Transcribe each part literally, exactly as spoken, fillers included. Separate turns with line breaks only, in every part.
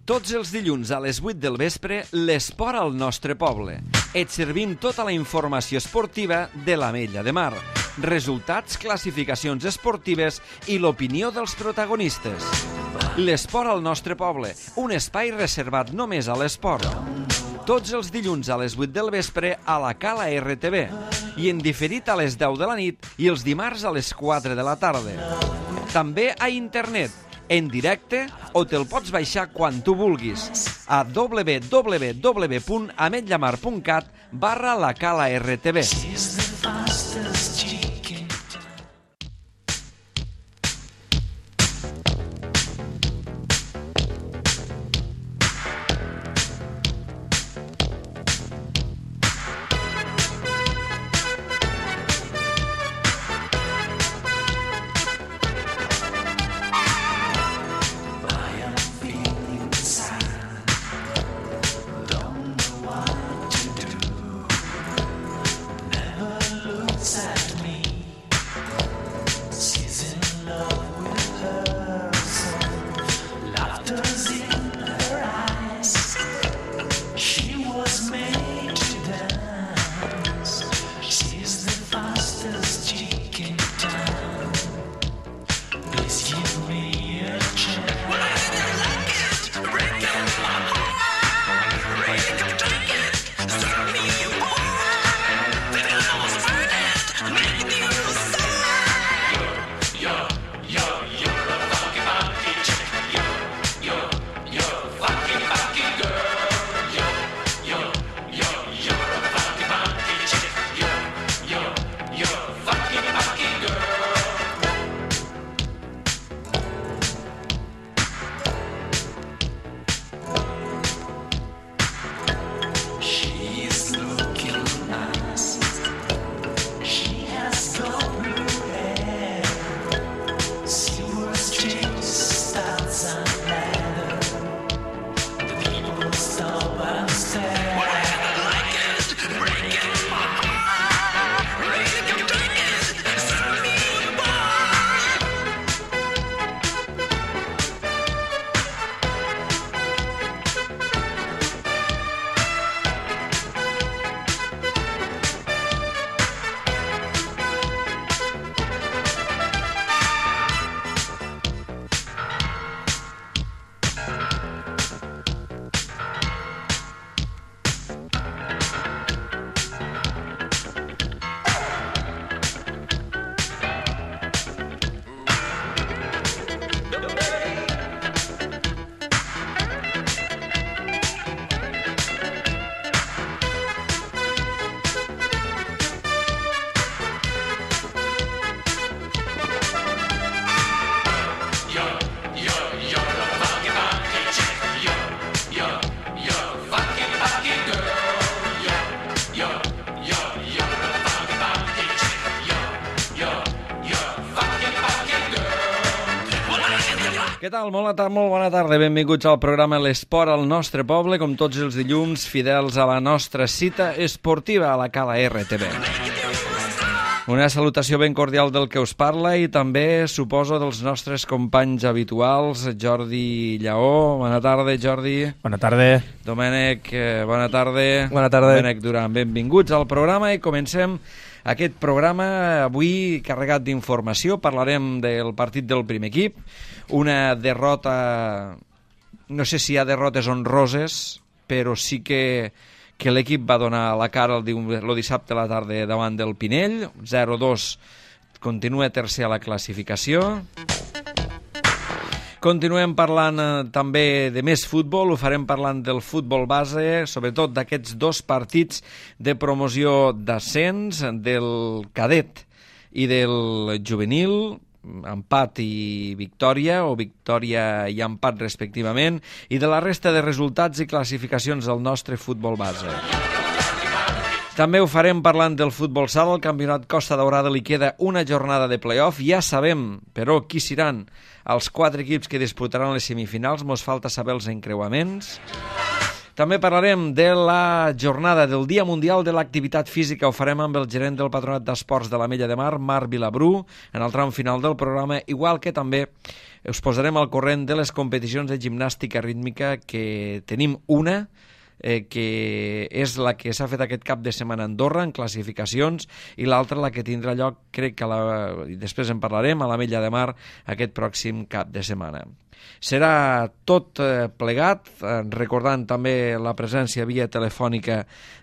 Tots els dilluns a les vuit del vespre, l'esport al nostre poble. Et servim tota la informació esportiva de l'Ametlla de Mar, resultats, classificacions esportives i l'opinió dels protagonistes. L'esport al nostre poble, un espai reservat només a l'esport. Tots els dilluns a les vuit del vespre a la Cala R T V i en diferit a les deu de la nit i els dimarts a les quatre de la tarda. També a internet, en directe, o te'l pots baixar quan tu vulguis a w w w punt ametllamar punt cat barra la Cala R T V. Què tal? Molt, tar molt bona tarda. Benvinguts al programa L'Esport al nostre poble, com tots els dilluns, fidels a la nostra cita esportiva a la Cala R T V. Una salutació ben cordial del que us parla i també, suposo, dels nostres companys habituals, Jordi Lleó. Bona tarda, Jordi.
Bona tarda.
Domènec, bona tarda.
Bona tarda.
Domènec Duran, benvinguts al programa i comencem aquest programa avui carregat d'informació. Parlarem del partit del primer equip, una derrota, no sé si hi ha derrotes honroses, però sí que, que l'equip va donar la cara el, el dissabte a la tarda davant del Pinell, zero dos, continua tercer a la classificació. Continuem parlant eh, també de més futbol, ho farem parlant del futbol base, sobretot d'aquests dos partits de promoció d'ascens, del cadet i del juvenil, empat i victòria, o victòria i empat respectivament, i de la resta de resultats i classificacions del nostre futbol base. També ho farem parlant del futbol sala. Al campionat Costa Daurada li queda una jornada de play-off. Ja sabem, però, qui seran els quatre equips que disputaran les semifinals. Mos falta saber els encreuaments. També parlarem de la jornada del Dia Mundial de l'Activitat Física. Ho farem amb el gerent del Patronat d'Esports de l'Ametlla de Mar, Marc Vilabrú, en el tram final del programa, igual que també us posarem al corrent de les competicions de gimnàstica rítmica, que tenim una, eh, que és la que s'ha fet aquest cap de setmana a Andorra, en classificacions, i l'altra la que tindrà lloc, crec que la, i després en parlarem, a l'Ametlla de Mar aquest pròxim cap de setmana. Serà tot eh, plegat, eh, recordant també la presència via telefònica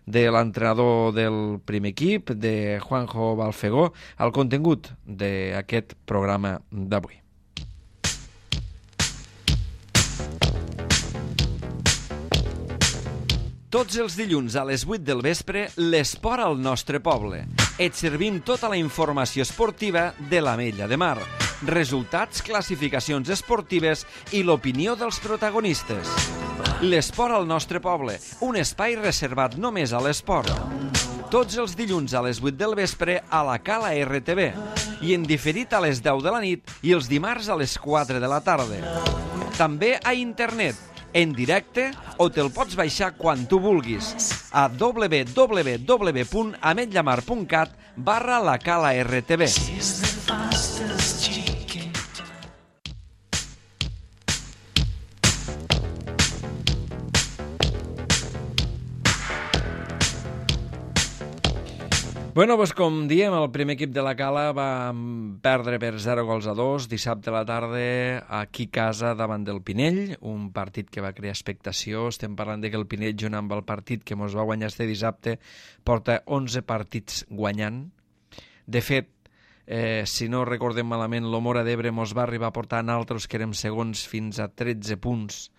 de l'entrenador del primer equip, de Juanjo Balfegó, al contingut d'aquest programa d'avui. Tots els dilluns a les vuit del vespre, l'esport al nostre poble. Et servim tota la informació esportiva de l'Ametlla de Mar. Resultats, classificacions esportives i l'opinió dels protagonistes. L'esport al nostre poble, un espai reservat només a l'esport. Tots els dilluns a les vuit del vespre a la Cala R T V i en diferit a les deu de la nit i els dimarts a les quatre de la tarda. També a internet, en directe, o te'l pots baixar quan tu vulguis a w w w punt ametllamar punt cat barra la Cala R T V. Bueno, doncs com diem, el primer equip de la Cala va perdre per zero gols a dos dissabte a la tarda aquí a casa davant del Pinell, un partit que va crear expectació. Estem parlant de que el Pinell, junt amb el partit que ens va guanyar este dissabte, porta onze partits guanyant. De fet, eh, si no recordem malament, l'Omora d'Ebre ens va arribar a portar en altres que érem segons fins a tretze punts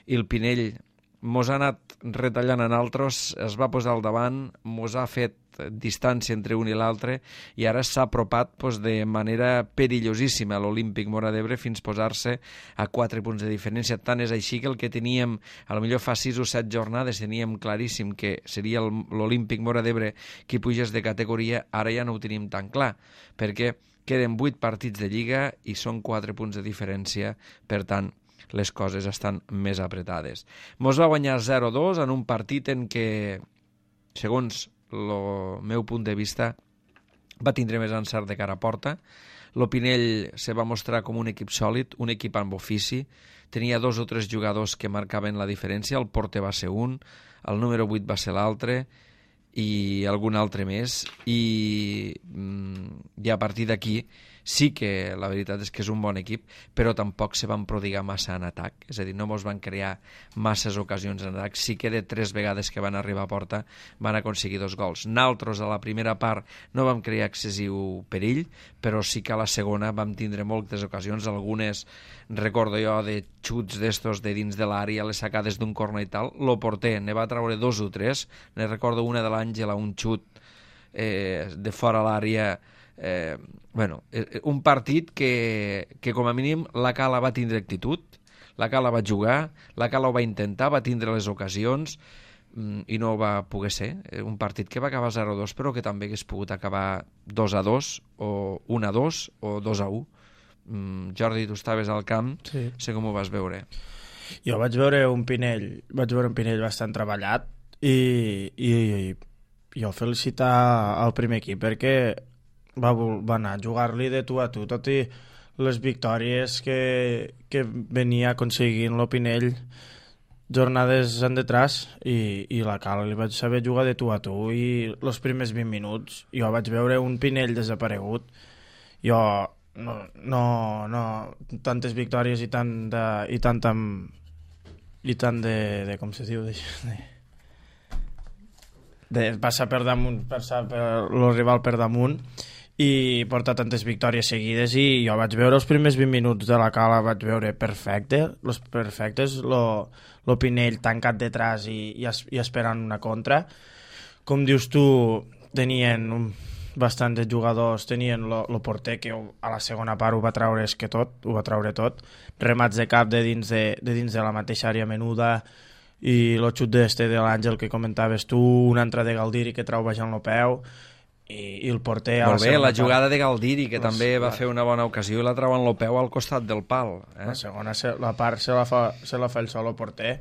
i el Pinell mos ha anat retallant en altres, es va posar al davant, mos ha fet distància entre un i l'altre i ara s'ha apropat pues, de manera perillosíssima a l'Olímpic Móra d'Ebre fins posar-se a quatre punts de diferència. Tant és així que el que teníem, a lo millor fa sis o set jornades, teníem claríssim que seria l'Olímpic Móra d'Ebre qui pugés de categoria, ara ja no ho tenim tan clar, perquè queden vuit partits de Lliga i són quatre punts de diferència, per tant, les coses estan més apretades. Mos va guanyar zero dos en un partit en què, segons el meu punt de vista, va tindre més encert de cara a porta. L'Opinell se va mostrar com un equip sòlid, un equip amb ofici, tenia dos o tres jugadors que marcaven la diferència, el porter va ser un, el número vuit va ser l'altre i algun altre més, i, i a partir d'aquí sí que la veritat és que és un bon equip, però tampoc se van prodigar massa en atac, és a dir, no mos van crear masses ocasions en atac. Sí que de tres vegades que van arribar a porta van aconseguir dos gols. Naltros a la primera part no vam crear excessiu perill, però sí que a la segona vam tindre moltes ocasions, algunes recordo jo de xuts d'estos de dins de l'àrea, les sacades d'un corner i tal. Lo porter ne va treure dos o tres, ne recordo una de l'Àngela, un xut eh, de fora l'àrea. Eh, bueno, un partit que, que com a mínim la Cala va tindre actitud, la Cala va jugar, la Cala ho va intentar, va tindre les ocasions i no va poder ser. Un partit que va acabar zero a dos, però que també hagués pogut acabar dos a dos o un a dos o dos a u. Jordi, tu estaves al camp, sí. Sé com ho vas veure.
Jo vaig veure un Pinell, vaig veure un Pinell bastant treballat i, i, i jo felicitar al primer equip perquè Va, va anar a jugar-li de tu a tu, tot i les victòries que, que venia aconseguint l'Opinell jornades en detrás, i, i la Cala li vaig saber jugar de tu a tu, i els primers vint minuts jo vaig veure un Pinell desaparegut. Jo no, no, no tantes victòries i tant de, i tant amb, i tant de, de com se diu de, de passar per damunt, passar per el rival per damunt i portar tantes victòries seguides, i jo vaig veure els primers vint minuts de la Cala, vaig veure perfecte, los perfectes, lo, lo Pinell tancat detrás i, i, es, i esperant una contra. Com dius tu, tenien un, bastants jugadors, tenien lo, lo porter que a la segona part ho va treure és que tot, ho va treure tot, remats de cap de dins de, de, dins de la mateixa àrea menuda, i el xut d'este de l'Àngel que comentaves tu, una altra de Galdiri que trau baixant el peu, i, i el porter...
Molt bé, la jugada part... de Galdiri, que la, també va la... fer una bona ocasió, i la trau en el peu al costat del pal. Eh?
La segona, la part se la fa, se la fa el sol el porter,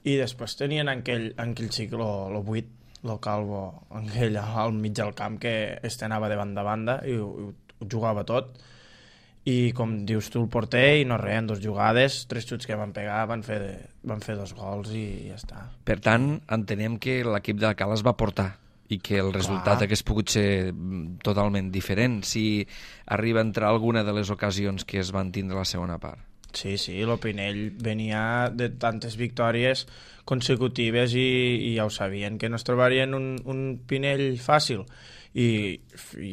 i després tenien aquell, aquell xic, el vuit, el Calvo, aquell al mig del camp que este anava de banda a banda i ho, ho jugava tot, i com dius tu el porter, i no res, en dues jugades, tres xuts que van pegar, van fer, de, van fer dos gols i ja està.
Per tant, entenem que l'equip d'Alcalá es va portar i que el resultat hagués pogut ser totalment diferent si arriba a entrar alguna de les ocasions que es van tindre a la segona part.
Sí, sí, el Pinell venia de tantes victòries consecutives i, i ja ho sabien, que no es trobarien un, un Pinell fàcil. I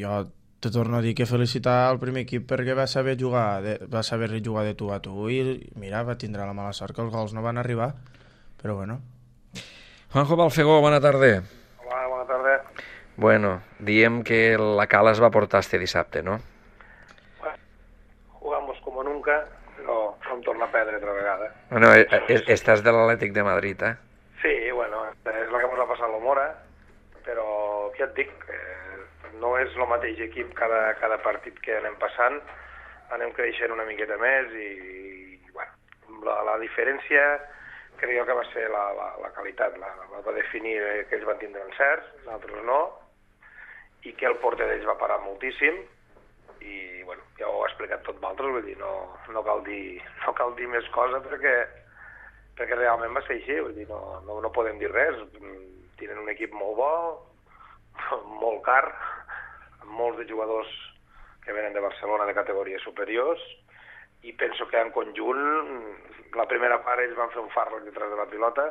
jo te torno a dir que felicitar el primer equip perquè va saber jugar de, va saber jugar de tu a tu i mira, va tindre la mala sort que els gols no van arribar, però bueno.
Juanjo Balfegó, bona tarda.
Hola, bona tarda.
Bueno, diem que la Cala es va portar este dissabte, ¿no?
Bueno, jugamos como nunca, però vam tornar a perdre altra vegada.
Bueno, estàs de l'Atlètic de Madrid, eh?
Sí, bueno, és la que ens va passar a l'Omora, però ja et dic, eh, no és el mateix equip cada, cada partit que anem passant, anem creixent una miqueta més i, i bueno, la, la diferència crec que va ser la, la, la qualitat, la, la va definir que ells van tindre encerts, nosaltres no, i que el porter d'ells va parar moltíssim, i bueno, ja ho he explicat tot d'altres, vull dir, no, no, cal dir, no cal dir més cosa perquè, perquè realment va ser així, vull dir, no, no, no podem dir res, tenen un equip molt bo, molt car, amb molts de jugadors que venen de Barcelona de categories superiors, i penso que en conjunt la primera part ells van fer un fàrrec detrás de la pilota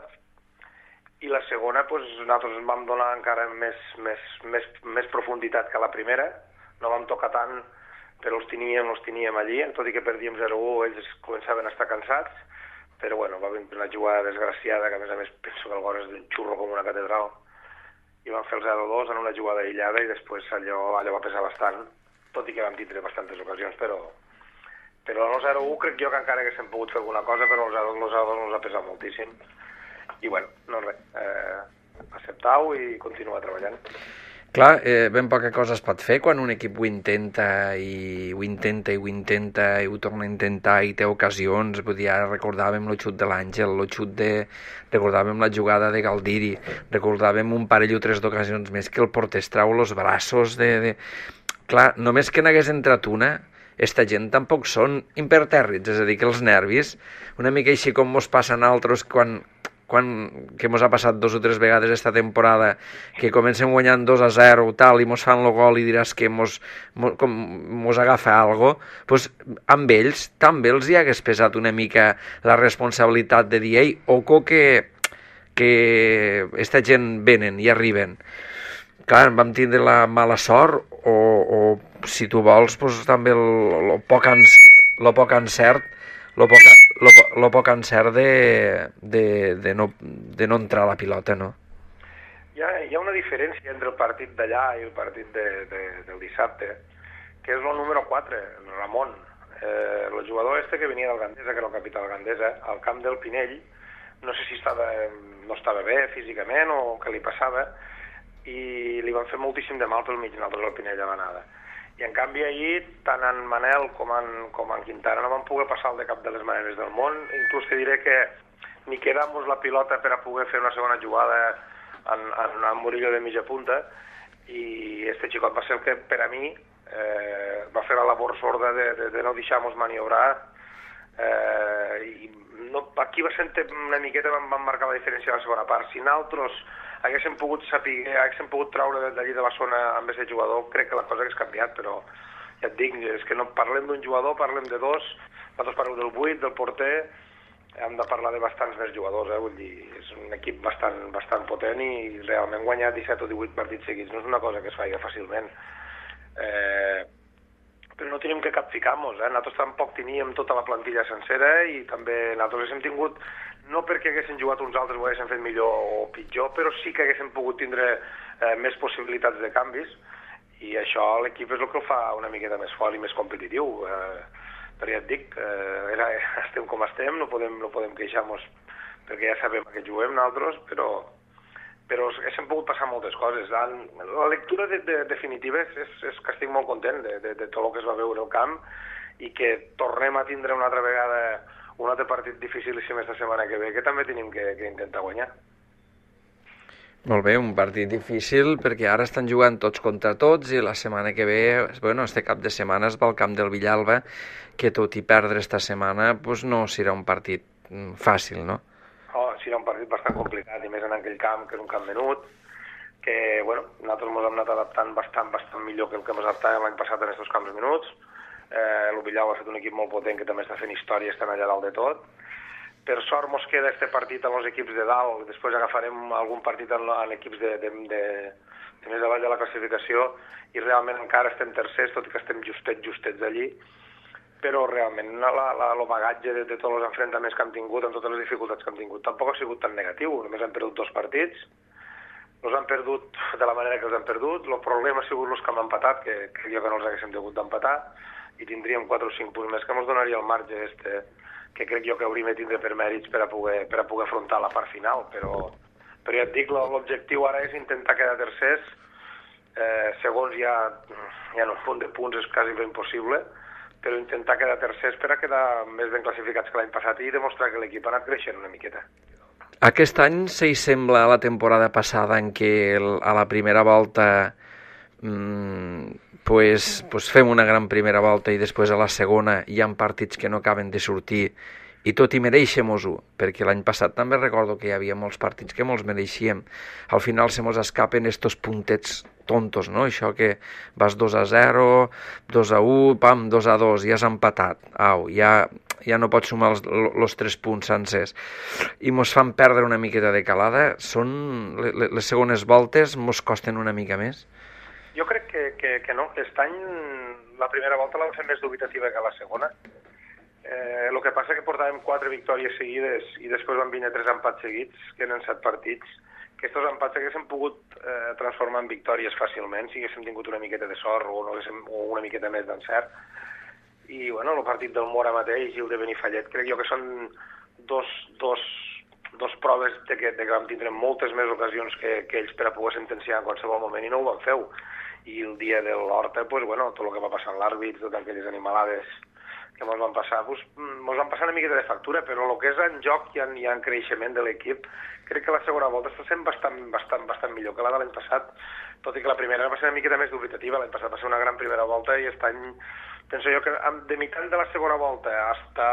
i la segona pues, nosaltres ens vam donar encara més, més, més, més profunditat que la primera, no vam tocar tant però els teníem, els teníem allí, tot i que perdíem zero a u ells començaven a estar cansats, però bueno, va venir una jugada desgraciada que a més a més penso que el gol és d'un xurro com una catedral i van fer el zero a dos en una jugada aïllada i després allò, allò va pesar bastant, tot i que vam tindre bastantes ocasions, però però el zero a u crec jo que encara haguéssim pogut fer alguna cosa, però el zero a dos ens ha pesat moltíssim. I bueno, no res, eh, acceptar-ho i continuar treballant.
Clar, eh, ben poca cosa es pot fer quan un equip ho intenta i ho intenta i ho intenta i ho torna a intentar i té ocasions. Vull dir, ara recordàvem el xut de l'Àngel, el xut de... recordàvem la jugada de Galdiri, recordàvem un parell o tres d'ocasions més que el porter es trau els braços de... de... Clar, només que n'hagués entrat una, esta gent tampoc són impertèrrits, és a dir, que els nervis, una mica així com mos passa a nosaltres quan, quan, que mos ha passat dos o tres vegades esta temporada, que comencem guanyant dos a zero tal, i mos fan el gol i diràs que mos, mos, com, mos agafa algo, pues, amb ells també els hi hagués pesat una mica la responsabilitat de dir, ei, oco que, que esta gent venen i arriben. Clar, vam tindre la mala sort o, o si tu vols, pues, també el, el, poc, en, el poc encert el poc, el, el poc encert de, de, de, no, de no entrar a la pilota, no?
Hi ha, hi ha una diferència entre el partit d'allà i el partit de, de, del dissabte, que és el número quatre, el Ramon. Eh, el jugador este que venia del Gandesa, que era el capità del Gandesa, al camp del Pinell, no sé si estava, no estava bé físicament o què li passava, i li van fer moltíssim de mal pel mig nosaltres al Pinell a l'anada. I en canvi ahir, tant en Manel com en, com en Quintana no van poder passar el de cap de les maneres del món, inclús te diré que ni quedamos la pilota per a poder fer una segona jugada en, en una Murillo de mitja punta, i este xicot va ser el que per a mi eh, va fer la labor sorda de, de, de no deixar-nos maniobrar, eh, i no, aquí va ser una miqueta van, van marcar la diferència de la segona part. Si nosaltres haguéssim pogut saber, haguéssim pogut traure d'allí de la zona amb aquest jugador, crec que la cosa hagués canviat, però ja et dic, és que no parlem d'un jugador, parlem de dos, nosaltres parlem del vuit, del porter, hem de parlar de bastants més jugadors, eh? Vull dir, és un equip bastant, bastant potent i realment guanyar disset o divuit partits seguits no és una cosa que es faci fàcilment. Eh, però no tenim que capficar-nos, eh? Nosaltres tampoc teníem tota la plantilla sencera i també nosaltres hem tingut, no perquè haguessin jugat uns altres ho haguessin fet millor o pitjor, però sí que haguessin pogut tindre eh, més possibilitats de canvis i això l'equip és el que el fa una miqueta més fort i més competitiu. Eh, però ja et dic, eh, era, estem com estem, no podem, no podem queixar-nos perquè ja sabem que juguem nosaltres, però, però haguessin pogut passar moltes coses. La, la lectura de, de, definitiva és, és, és que estic molt content de, de, de tot el que es va veure al camp i que tornem a tindre una altra vegada un altre partit dificilíssim esta setmana que ve, que també tenim que, que intentar guanyar.
Molt bé, un partit difícil perquè ara estan jugant tots contra tots i la setmana que ve, bueno, este cap de setmana es va al camp del Villalba, que tot i perdre esta setmana pues no serà un partit fàcil, no?
Oh, serà un partit bastant complicat, i més en aquell camp, que és un camp menut, que, bueno, nosaltres ens hem anat adaptant bastant, bastant millor que el que ens adaptàvem l'any passat en aquests camps menuts. Eh, el Villalba ha fet un equip molt potent que també està fent història, estan allà dalt de tot. Per sort mos queda este partit amb els equips de dalt, després agafarem algun partit en, en equips de, de, de, de més avall de la classificació, i realment encara estem tercers, tot i que estem justets, justets allí, però realment la, la, el bagatge de, de tots els enfrontaments que hem tingut, amb totes les dificultats que hem tingut, tampoc ha sigut tan negatiu. Només hem perdut dos partits, els han perdut de la manera que els han perdut, el problema ha sigut els que hem empatat, que crec jo que no els haguéssim degut d'empatar, i tindríem quatre o cinc punts més que ens donaria el marge este, que crec jo que hauríem de tindre per mèrits per a poder, per a poder afrontar la part final, però, però ja et dic, l'objectiu ara és intentar quedar tercers, eh, segons ja, ja en un punt de punts és quasi ben impossible, però intentar quedar tercers per a quedar més ben classificats que l'any passat i demostrar que l'equip ha anat creixent una miqueta.
Aquest any s'hi sembla a la temporada passada en què el, a la primera volta mmm, pues, pues fem una gran primera volta i després a la segona hi ha partits que no acaben de sortir i tot i mereixem-ho, perquè l'any passat també recordo que hi havia molts partits que molts mereixíem. Al final se mos escapen estos puntets tontos, no? Això que vas dos a zero, dos a u, pam, dos a dos, ja has empatat. Au, ja, ja no pots sumar els, els tres punts sencers. I mos fan perdre una miqueta de calada. Són, les segones voltes mos costen una mica més?
Jo crec que, que, que no, que aquest any la primera volta l'han fet més dubitativa que la segona. Eh, el que passa que portàvem quatre victòries seguides i després van venir tres empats seguits, que eren set partits. Aquests empats haguéssim pogut eh, transformar en victòries fàcilment si haguéssim tingut una miqueta de sort o, no haguéssim, o una miqueta més d'encert. I bueno, el partit del Mora mateix i el de Benifallet crec jo que són dos, dos, dos proves de que, de que vam tindre moltes més ocasions que, que ells per a poder sentenciar en qualsevol moment i no ho van fer. I el dia de l'Horta, pues, bueno, tot el que va passar amb l'àrbit, totes aquelles animalades que ens van passar, pues, ens van passar una miqueta de factura, però el que és en joc i en, i en creixement de l'equip, crec que la segona volta està sent bastant, bastant, bastant millor que la de l'any passat, tot i que la primera va ser una miqueta més dubitativa. L'any passat va ser una gran primera volta i aquest any penso jo que de mitjan de la segona volta hasta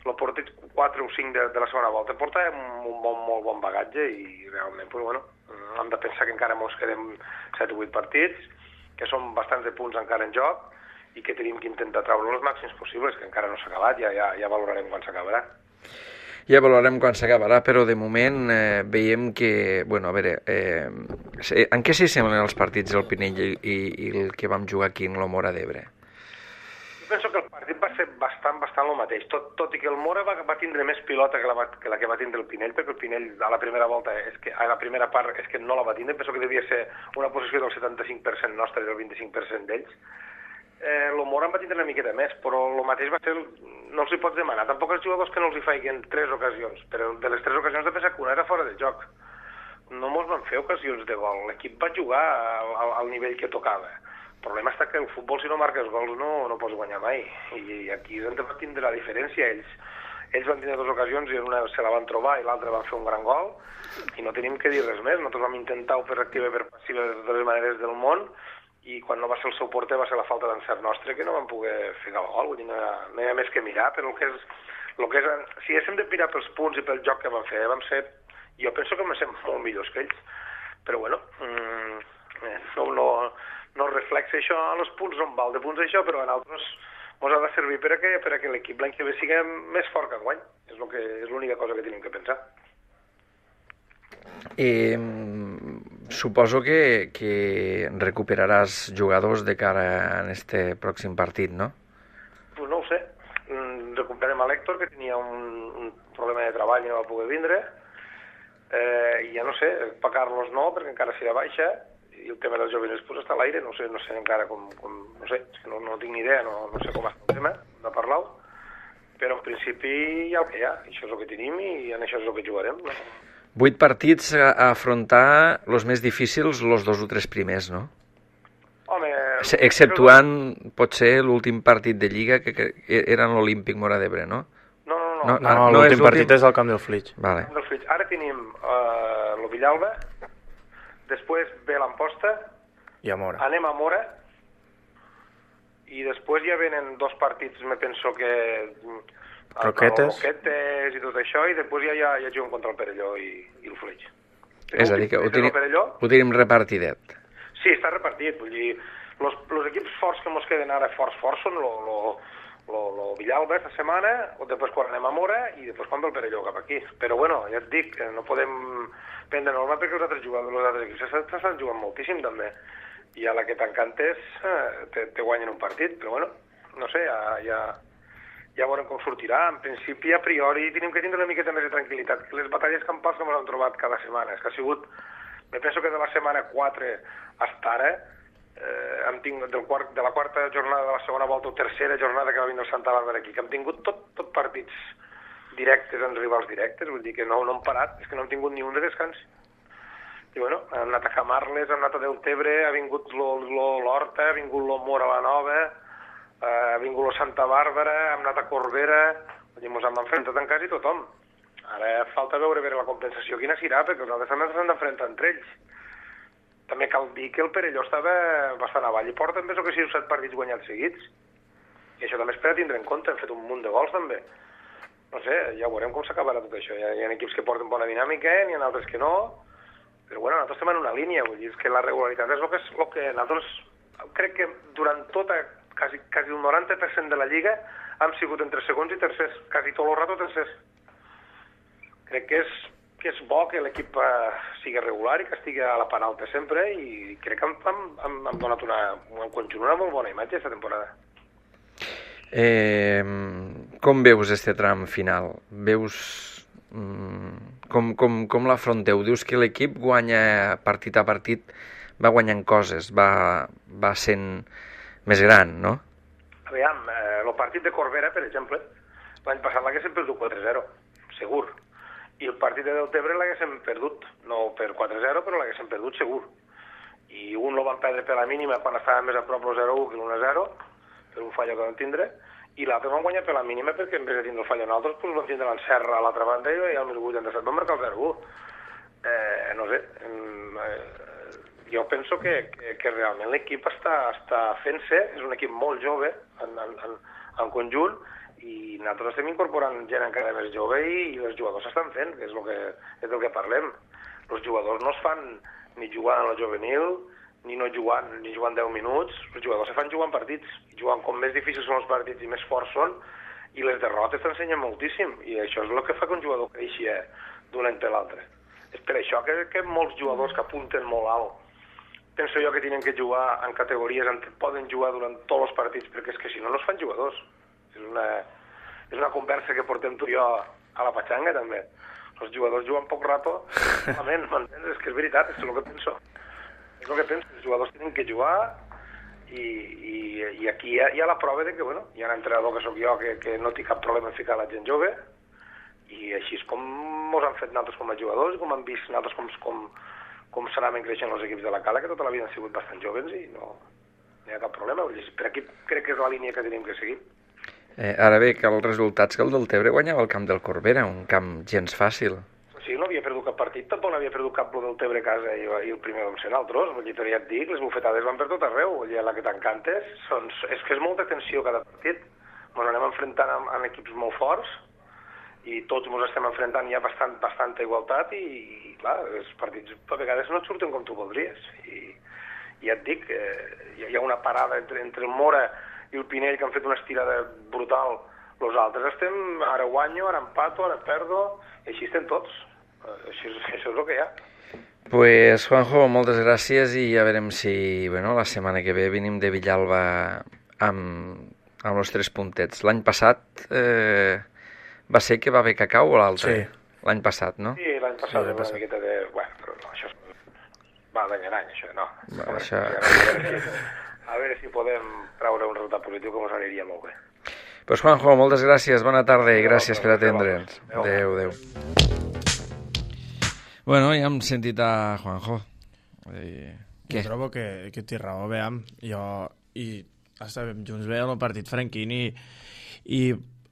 el partit quatre o cinc de, de la segona volta porta un, un bon, molt bon bagatge i realment, pues, bueno, hem de pensar que encara ens quedem set o vuit partits, que són bastants de punts encara en joc i que tenim que intentar treure els màxims possibles, que encara no s'ha acabat, ja, ja, ja valorarem quan s'acabarà.
Ja valorarem quan s'acabarà, però de moment eh, veiem que, bueno, a veure, eh, en què s'hi semblen els partits del Pinell i, i, i el que vam jugar aquí en el Mora d'Ebre?
Jo penso que el partit va ser bastant, bastant el mateix, tot, tot i que el Mora va, va tindre més pilota que la, que la que va tindre el Pinell, perquè el Pinell a la primera volta, és que, a la primera part és que no la va tindre, penso que devia ser una posició del setanta-cinc per cent nostra i del vint-i-cinc per cent d'ells. Eh, el Mora en va tindre una miqueta més, però el mateix va ser, no els hi pots demanar, tampoc els jugadors que no els hi faiguen tres ocasions, però de les tres ocasions de pensar que una era fora de joc. No mos van fer ocasions de gol, l'equip va jugar al, al nivell que tocava. El problema està que el futbol, si no marques gols, no, no pots guanyar mai, i aquí és on va tindre la diferència. Ells, ells van tindre dues ocasions i una se la van trobar i l'altra van fer un gran gol, i no tenim que dir res més. Nosaltres vam intentar-ho per activa i per passiva de totes les maneres del món, i quan no va ser el seu porter va ser la falta d'encert nostre, que no vam poder fer el gol. Vull dir, no, no hi ha més que mirar, però el que és, el que és, si haguéssim de mirar pels punts i pel joc que vam fer, vam ser, jo penso que vam ser molt millors que ells, però bueno, mmm, no, no, no reflexa això a els punts, no en val de punts això, però en altres ens ha de servir per a que, per a que l'equip l'any que ve sigui més fort que enguany. És, lo que, és l'única cosa que tenim que pensar.
Eh, suposo que, que recuperaràs jugadors de cara a este pròxim partit, no?
Pues no ho sé. Recuperem a l'Héctor, que tenia un, un problema de treball i no va poder vindre. Eh, I ja no sé, per Carlos no, perquè encara serà baixa, i el tema dels joves pues, està a l'aire, no sé, no sé encara com, com no sé, no, no tinc ni idea, no, no sé com està el tema, de parlar-ho, però en principi hi ha el que hi ha, això és el que tenim i en això és el que jugarem, no?
Vuit partits a afrontar els més difícils, els dos o tres primers, no?
Home...
Exceptuant, potser, l'últim partit de Lliga, que, que era l'Olímpic Mora d'Ebre, no?
no.
No,
no,
no
no és
l'últim partit
l'últim.
és al Camp del Flix.
Vale.
Del Flix. Ara tenim uh, el Villalba, després ve l'Amposta,
I a Mora.
anem a Mora, i després ja venen dos partits, me penso que...
Roquetes.
Roquetes i tot això, i després ja, ja, ja juguen contra el Perelló i, i el Flix.
És a dir, que ho tenim, ho tenim repartidet.
Sí, està repartit, vull dir, los, los equips forts que ens queden ara forts, forts són lo, lo, lo, lo Villalba esta setmana, o després quan anem a Mora, i després quan ve el Perelló cap aquí. Però bueno, ja et dic, no podem prendre norma perquè els altres jugadors, els altres equips estan jugant moltíssim també. I a la que t'encantes eh, te, te guanyen un partit, però bueno, no sé, ja, ja, ja veurem com sortirà. En principi, a priori, tenim que tindre una miqueta més de tranquil·litat. Les batalles campals que ens hem trobat cada setmana, és que ha sigut, me penso que de la setmana quatre hasta ara, eh, hem tingut del quart, de la quarta jornada de la segona volta o tercera jornada que va vindre el Santa Bàrbara aquí, que hem tingut tot, tot partits directes en rivals directes, vull dir que no, no hem parat, és que no hem tingut ni un de descans. I bueno, hem anat a Camarles, hem anat a Deltebre, ha vingut l'Horta, ha vingut lo Mora la Nova, eh, ha vingut lo Santa Bàrbara, hem anat a Corbera, vull dir, ens hem enfrontat en quasi tothom. Ara falta veure, veure la compensació quina serà, perquè els altres també s'han d'enfrontar entre ells. També cal dir que el Perelló estava bastant avall i porta més o que sis o set partits guanyats seguits. I això també es per a tindre en compte, hem fet un munt de gols també. No sé, ja veurem com s'acabarà tot això. Hi ha, hi ha equips que porten bona dinàmica, n'hi ha altres que no, però bueno, nosaltres estem en una línia, vull dir, és que la regularitat és el que, és el que nosaltres, crec que durant tota, quasi, quasi el noranta per cent de la Lliga, hem sigut entre segons i tercers, quasi tot el rato tercers. Crec que és, que és bo que l'equip eh, sigui regular i que estigui a la part alta sempre, i crec que hem, hem, hem, hem donat una, en conjunt una molt bona imatge aquesta temporada.
Eh, com veus este tram final? Veus mm, com, com, com l'afronteu? Dius que l'equip guanya partit a partit, va guanyant coses, va, va sent més gran, no?
Aviam, eh, el partit de Corbera, per exemple, l'any passat l'haguéssim perdut quatre zero, segur. I el partit de Deltebre l'haguéssim perdut, no per quatre zero, però l'haguéssim perdut segur. I un el van perdre per la mínima quan estava més a prop el zero u que l'un a zero, per un fallo que van tindre, i l'altre van guanyar per la mínima perquè en vez de tindre el fallo en altres, doncs van tindre l'encerra a l'altra banda i al mil vuitanta-set van marcar el zero u. Eh, no sé, eh, jo penso que, que, que realment l'equip està, està fent-se, és un equip molt jove en, en, en, en conjunt, i nosaltres estem incorporant gent encara més jove i, i els jugadors s'estan fent, que és, lo que és del que parlem. Els jugadors no es fan ni jugant a la juvenil, ni no jugant, ni jugant deu minuts, els jugadors se fan jugant partits, i jugant com més difícils són els partits i més forts són, i les derrotes t'ensenyen moltíssim, i això és el que fa que un jugador creixi d'un any per l'altre. És per això que, que molts jugadors que apunten molt alt, penso jo que tenen que jugar en categories en què poden jugar durant tots els partits, perquè és que si no, no es fan jugadors. És una, és una conversa que portem tu i jo a la patxanga, també. Els jugadors juguen poc rato, malament, m'entens? És que és veritat, és el que penso. És el que penso, els jugadors tenen que jugar i, i, i aquí hi ha, hi ha la prova de que, bueno, hi ha un entrenador que sóc jo que, que no té cap problema en ficar la gent jove, i així és com ens han fet nosaltres com a jugadors, com han vist nosaltres com, com, com s'anaven creixent els equips de la Cala, que tota la vida han sigut bastant joves i no, no hi ha cap problema. Per aquí crec que és la línia que tenim que seguir.
Eh, ara bé, que els resultats que el Deltebre guanyava el camp del Corbera, un camp gens fàcil.
Sí, no havia perdut cap partit, tampoc no havia perdut cap el Deltebre a casa i, i el primer vam ser nosaltres. Vull dir, ja et dic, les bufetades van per tot arreu, vull dir, la que t'encantes. Són, és que és molta tensió cada partit. Ens anem enfrontant amb, amb equips molt forts i tots ens estem enfrontant ja bastant, bastanta igualtat i, i clar, els partits a vegades no et surten com tu voldries. I ja et dic, eh, hi ha una parada entre, entre el Mora i el Pinell, que han fet una estirada brutal. Els altres estem, ara guanyo, ara empato, ara perdo, i així estem tots. Això és, això és el que hi ha.
Pues, Juanjo, moltes gràcies i ja veurem si, bueno, la setmana que ve venim de Villalba amb, amb els tres puntets. L'any passat eh, va ser que va haver cacau o l'altre?
Sí.
L'any passat, no?
Sí, l'any passat,
Sí,
una miqueta de... Bueno, però no, això va d'any en any, això, no.
Va, això...
A veure si, a veure si podem treure un resultat positiu que ens aniria molt bé.
Pues, Juanjo, moltes gràcies, bona tarda i gràcies per atendre'ns. Adéu, adéu. Bueno, ja hem sentit a Juanjo. I...
Jo trobo que, que té raó, veiem. Jo i estàvem junts bé en el partit franquín i, i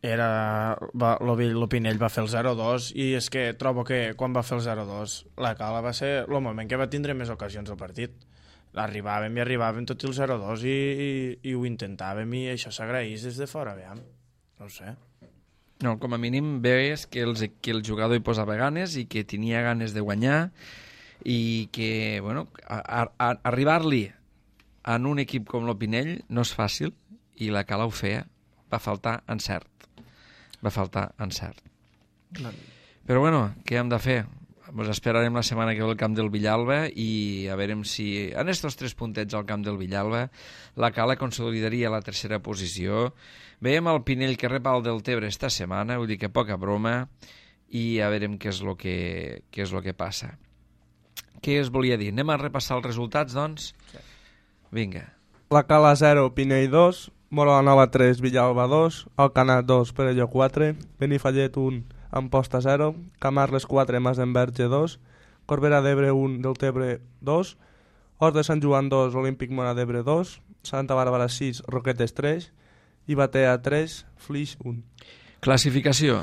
era, va, l'Opinell va fer el zero dos i és que trobo que quan va fer el zero dos la Cala va ser el moment que va tindre més ocasions al partit. Arribàvem i arribàvem tot el zero dos i, i, i ho intentàvem i això s'agraís des de fora, veiem. No ho sé.
No, com a mínim veus que, els, que el jugador hi posava ganes i que tenia ganes de guanyar i que, bueno, a, a, arribar-li en un equip com l'Opinell no és fàcil i la Cala ho feia. Va faltar encert. Va faltar encert.
No.
Però bueno, què hem de fer? Ens esperarem la setmana que ve al camp del Villalba i a veure si en estos tres puntets al camp del Villalba la Cala consolidaria la tercera posició. Veiem el Pinell que rep el Deltebre esta setmana, vull dir que poca broma, i a veurem què és el que, què és el que passa. Què es volia dir? Anem a repassar els resultats, doncs? Sí. Vinga.
La Cala zero, Pinell dos, Móra la Nova tres, Villalba dos, Alcanar dos, Perelló quatre, Benifallet un, Amposta zero, Camarles quatre, Masdenverge dos, Corbera d'Ebre un, Deltebre dos, Hort de Sant Joan dos, Olímpic Móra d'Ebre dos, Santa Bàrbara sis, Roquetes tres i Batea tres, Flix un.
Classificació.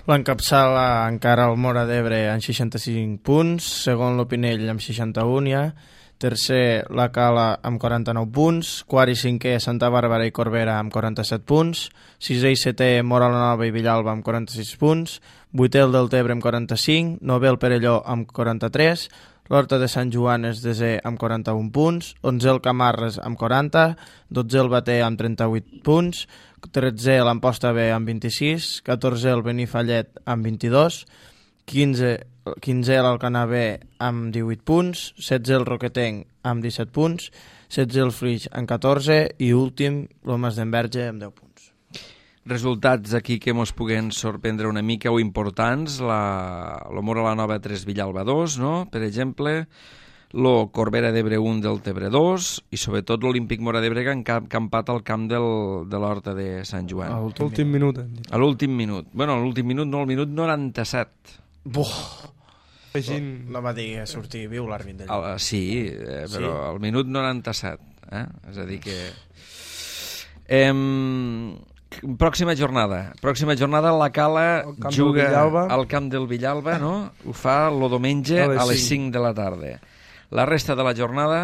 L'encapçala encara el Móra d'Ebre amb seixanta-cinc punts, segon l'Opinell amb seixanta-un ja, tercer la Cala amb quaranta-nou punts, quart i cinquè Santa Bàrbara i Corbera amb quaranta-set punts, sisè i setè Móra la Nova i Villalba amb quaranta-sis punts, vuitè el Deltebre amb quaranta-cinc, novè el Perelló amb quaranta-tres, l'Horta de Sant Joan és desè amb quaranta-un punts, onzè el Camarles amb quaranta, dotzè el Batea amb trenta-vuit punts, tretzè l'Amposta B amb vint-i-sis, catorzè el Benifallet amb vint-i-dos, quinze quinzè l'Alcanar B amb divuit punts, setze el Roquetenc amb disset punts, setze el Flix amb catorze i últim el Masdenverge amb deu punts.
Resultats aquí que mos puguen sorprendre una mica o importants, la, lo Móra la Nova tres, Villalba dos, no? Per exemple, lo Corbera d'Ebre un, Deltebre dos i sobretot l'Olímpic Móra d'Ebre que han campat al camp del, de l'Horta de Sant Joan.
A l'últim minut.
A l'últim minut. Bueno, a l'últim minut, no, al minut noranta-set.
Buh!
Feixin...
No va dir a sortir viu l'àrbit d'allà.
Sí, eh, però sí? Al minut noranta-set. Eh? És a dir que... Em... Pròxima jornada. Pròxima jornada la Cala juga al camp del Villalba, no? Ho fa el diumenge a les cinc de la tarda. La resta de la jornada...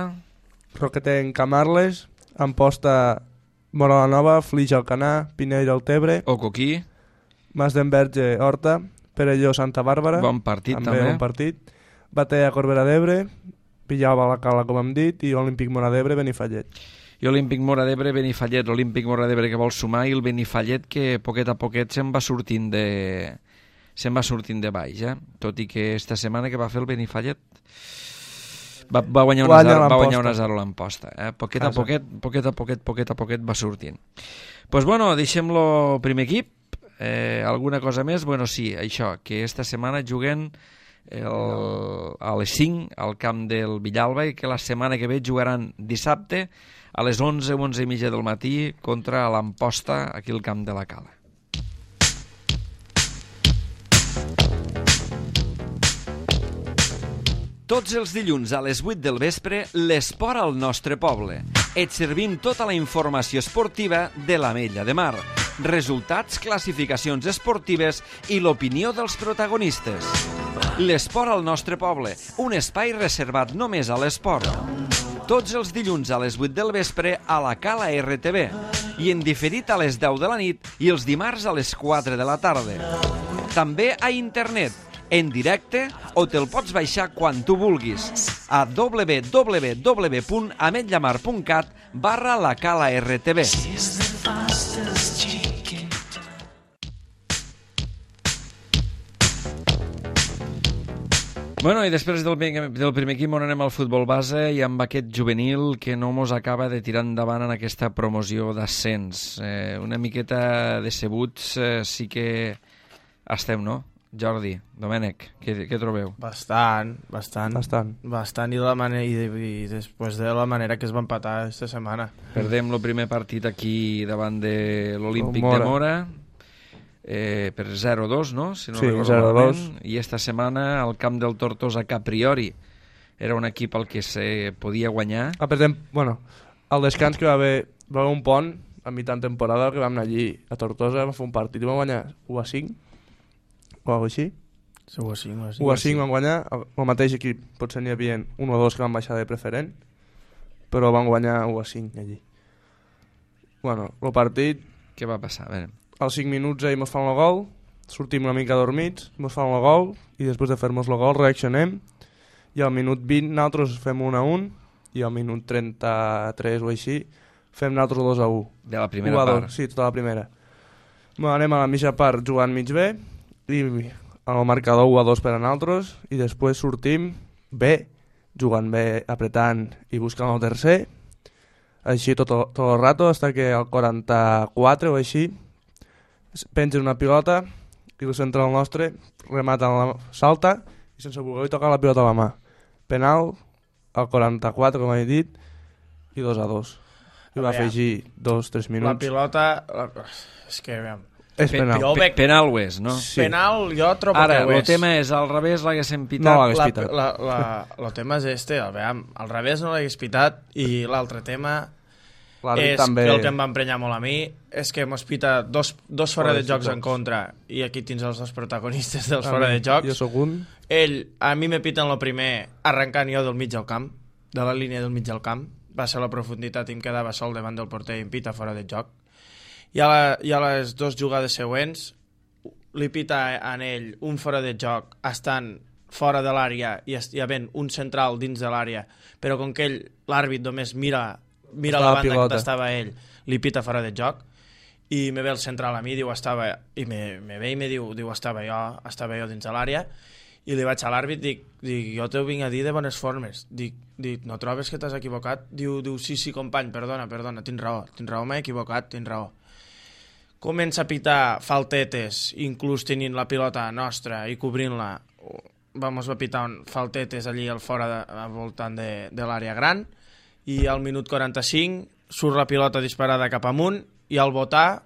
Roquetenc Camarles, Amposta Móra la Nova, Flix Alcanar, Pinell Deltebre,
Ocoquí,
Masdenverge Horta, Perelló Santa Bàrbara,
bon partit també,
també. Bon partit. Batea Corbera d'Ebre, Villalba la Cala com hem dit i Olímpic Móra d'Ebre, Benifallet.
I Olímpic Móra d'Ebre, Benifallet, l'Olímpic Móra d'Ebre que vol sumar i el Benifallet que poquet a poquet se'n va sortint de se'n va sortint de baix, eh? Tot i que esta setmana que va fer el Benifallet va, va guanyar una zero, va guanyar una zero a l'Amposta, eh? Poquet a poquet, poquet a poquet, poquet a poquet va sortint. Pues bueno, deixem-lo primer equip. Eh, alguna cosa més? Bueno, sí, això, que esta setmana juguen el, a les cinc al camp del Villalba i que la setmana que ve jugaran dissabte a les onze o onze i mitja del matí contra l'Amposta aquí al camp de la Cala.
Tots els dilluns a les vuit del vespre, l'esport al nostre poble. Et servim tota la informació esportiva de l'Ametlla de Mar, resultats, classificacions esportives i l'opinió dels protagonistes. L'esport al nostre poble, un espai reservat només a l'esport. Tots els dilluns a les vuit del vespre a la Cala R T V i en diferit a les deu de la nit i els dimarts a les quatre de la tarda. També a internet, en directe o te'l pots baixar quan tu vulguis a w w w punt ametllamar punt cat barra la Cala R T V.
Bueno, i després del, del primer equip on anem al futbol base i amb aquest juvenil que no mos acaba de tirar endavant en aquesta promoció d'ascens. Eh, una miqueta decebuts eh, sí que estem, no? Jordi, Domènec, què, què trobeu?
Bastant, bastant.
Bastant.
Bastant i, la manera, i, i després de la manera que es va empatar aquesta setmana.
Perdem el primer partit aquí davant de l'Olímpic de Móra. Eh, per zero dos, no? Si no
sí, zero dos.
I esta setmana al camp del Tortosa, que a priori era un equip al que se podia guanyar.
Ah, per exemple, bueno, al descans que va haver, va haver un pont a mitjan temporada que vam anar allí a Tortosa, vam fer un partit i vam guanyar u a cinc o alguna així.
Sí, u a cinc, u a cinc.
u a cinc vam guanyar, el mateix equip, potser n'hi havia un o dos que van baixar de preferent, però van guanyar u a cinc allí. Bueno, el partit...
Què va passar? A veure.
Als cinc minuts ells mos fan el gol, sortim una mica dormits, mos fan el gol, i després de fer-nos el gol reaccionem, i al minut vint nosaltres fem un a un, i al minut trenta-tres o així fem nosaltres dos a u.
De la primera part?
Sí, tota la primera. Bueno, anem a la mitja part jugant mig bé, i el marcador u a dos per a nosaltres, i després sortim bé, jugant bé, apretant i buscant el tercer, així tot, tot el rato, fins que al quaranta-quatre o així pengen una pilota i el central nostre remata en la salta i sense voler tocar la pilota a la mà. Penal al quaranta-quatre, com he dit, i dos a dos. I va afegir dos, tres minuts.
La pilota... La... És que, aviam...
És penal.
Jo veig...
Penal ho és, no?
Sí.
Penal jo trobo
Ara,
que ho
el
és.
tema és, al revés l'haguéssim pitat.
No l'hagués
La-
pitat.
la- la- El tema és este, aviam, al revés no l'hagués pitat, i l'altre tema
L'àrbit
és
també...
que el que em va emprenyar molt a mi és que mos pita dos, dos fora de jocs en
jocs.
contra, i aquí tens els dos protagonistes dels
A
fora
mi-
de jocs.
Jo sóc un.
Ell, a mi me piten el primer arrencant jo del mig del camp, de la línia del mig del camp, va ser la profunditat i em quedava sol davant del porter i em pita fora de joc. I a, la, i a les dues jugades següents li pita en ell un fora de joc estant fora de l'àrea i hi havent un central dins de l'àrea, però com que ell, l'àrbit només mira, mira la banda on estava ell, li pita fora de joc, i me ve el central a mi, diu, estava, i me, me ve i me diu, diu, estava jo, estava jo dins de l'àrea, i li vaig a l'àrbit, dic, dic, jo t'ho vinc a dir de bones formes, dic, dic no trobes que t'has equivocat? Diu, diu, sí, sí, company, perdona, perdona, tens raó, tens raó, m'he equivocat, tens raó. Comença a pitar faltetes, inclús tenint la pilota nostra i cobrint-la, vamos a pitar un faltetes allí al fora, de, al voltant de, de l'àrea gran, i al minut quaranta-cinc surt la pilota disparada cap amunt, i al botar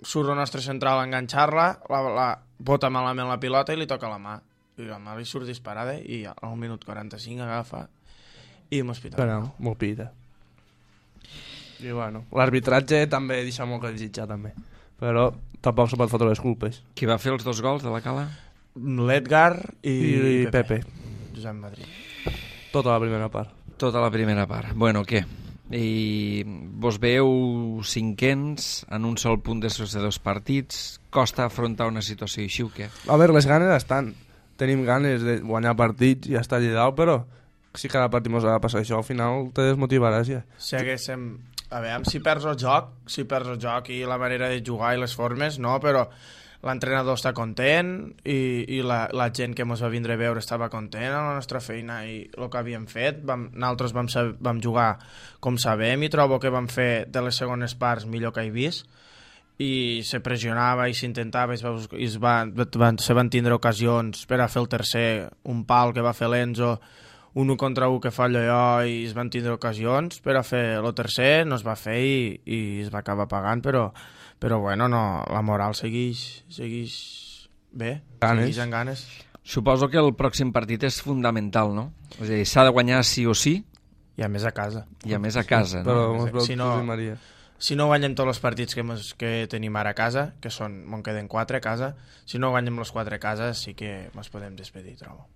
surt el nostre central a enganxar-la, la, la bota malament la pilota i li toca la mà. I la mà li surt disparada i al minut quaranta-cinc agafa i mos pita.
Penal, molt pita. I bueno, l'arbitratge també deixa molt que desitjar també. Però tampoc se pot fotre les culpes.
Qui va fer els dos gols de la Cala?
L'Edgar i,
I, i Pepe.
Josep Madrid.
Tota la primera part.
Tota la primera part. Bueno, què? I vos veu cinquens en un sol punt després de dos partits? Costa afrontar una situació així o què?
A veure, les ganes estan. Tenim ganes de guanyar partits i estar allà dalt, però si cada partit mos ha de passar això, al final te desmotivaràs ja.
Si haguéssim... A veure, si perds el joc, si perds el joc i la manera de jugar i les formes, no, però l'entrenador està content i, i la, la gent que ens va vindre a veure estava content a la nostra feina i el que havíem fet. Vam, nosaltres vam, saber, vam jugar com sabem i trobo que vam fer de les segones parts millor que he vist, i se pressionava i s'intentava i, es va, i es va, van, se van tindre ocasions per a fer el tercer, un pal que va fer l'Enzo, un un contra un que fallo jo, i es van tindre ocasions per a fer el tercer, no es va fer i, i es va acabar pagant, però, però bueno, no, la moral segueix, segueix bé,
Ganes.
segueix amb ganes.
Suposo que el pròxim partit és fundamental, no? És a dir, s'ha de guanyar sí o sí,
I a més a casa.
i a més a casa, no?
Però mos veu
Si no-
Josep Maria.
Si no guanyem tots els partits que, mos, que tenim ara a casa, que són, me'n queden quatre a casa, si no guanyem els quatre a casa sí que ens podem despedir, trobo.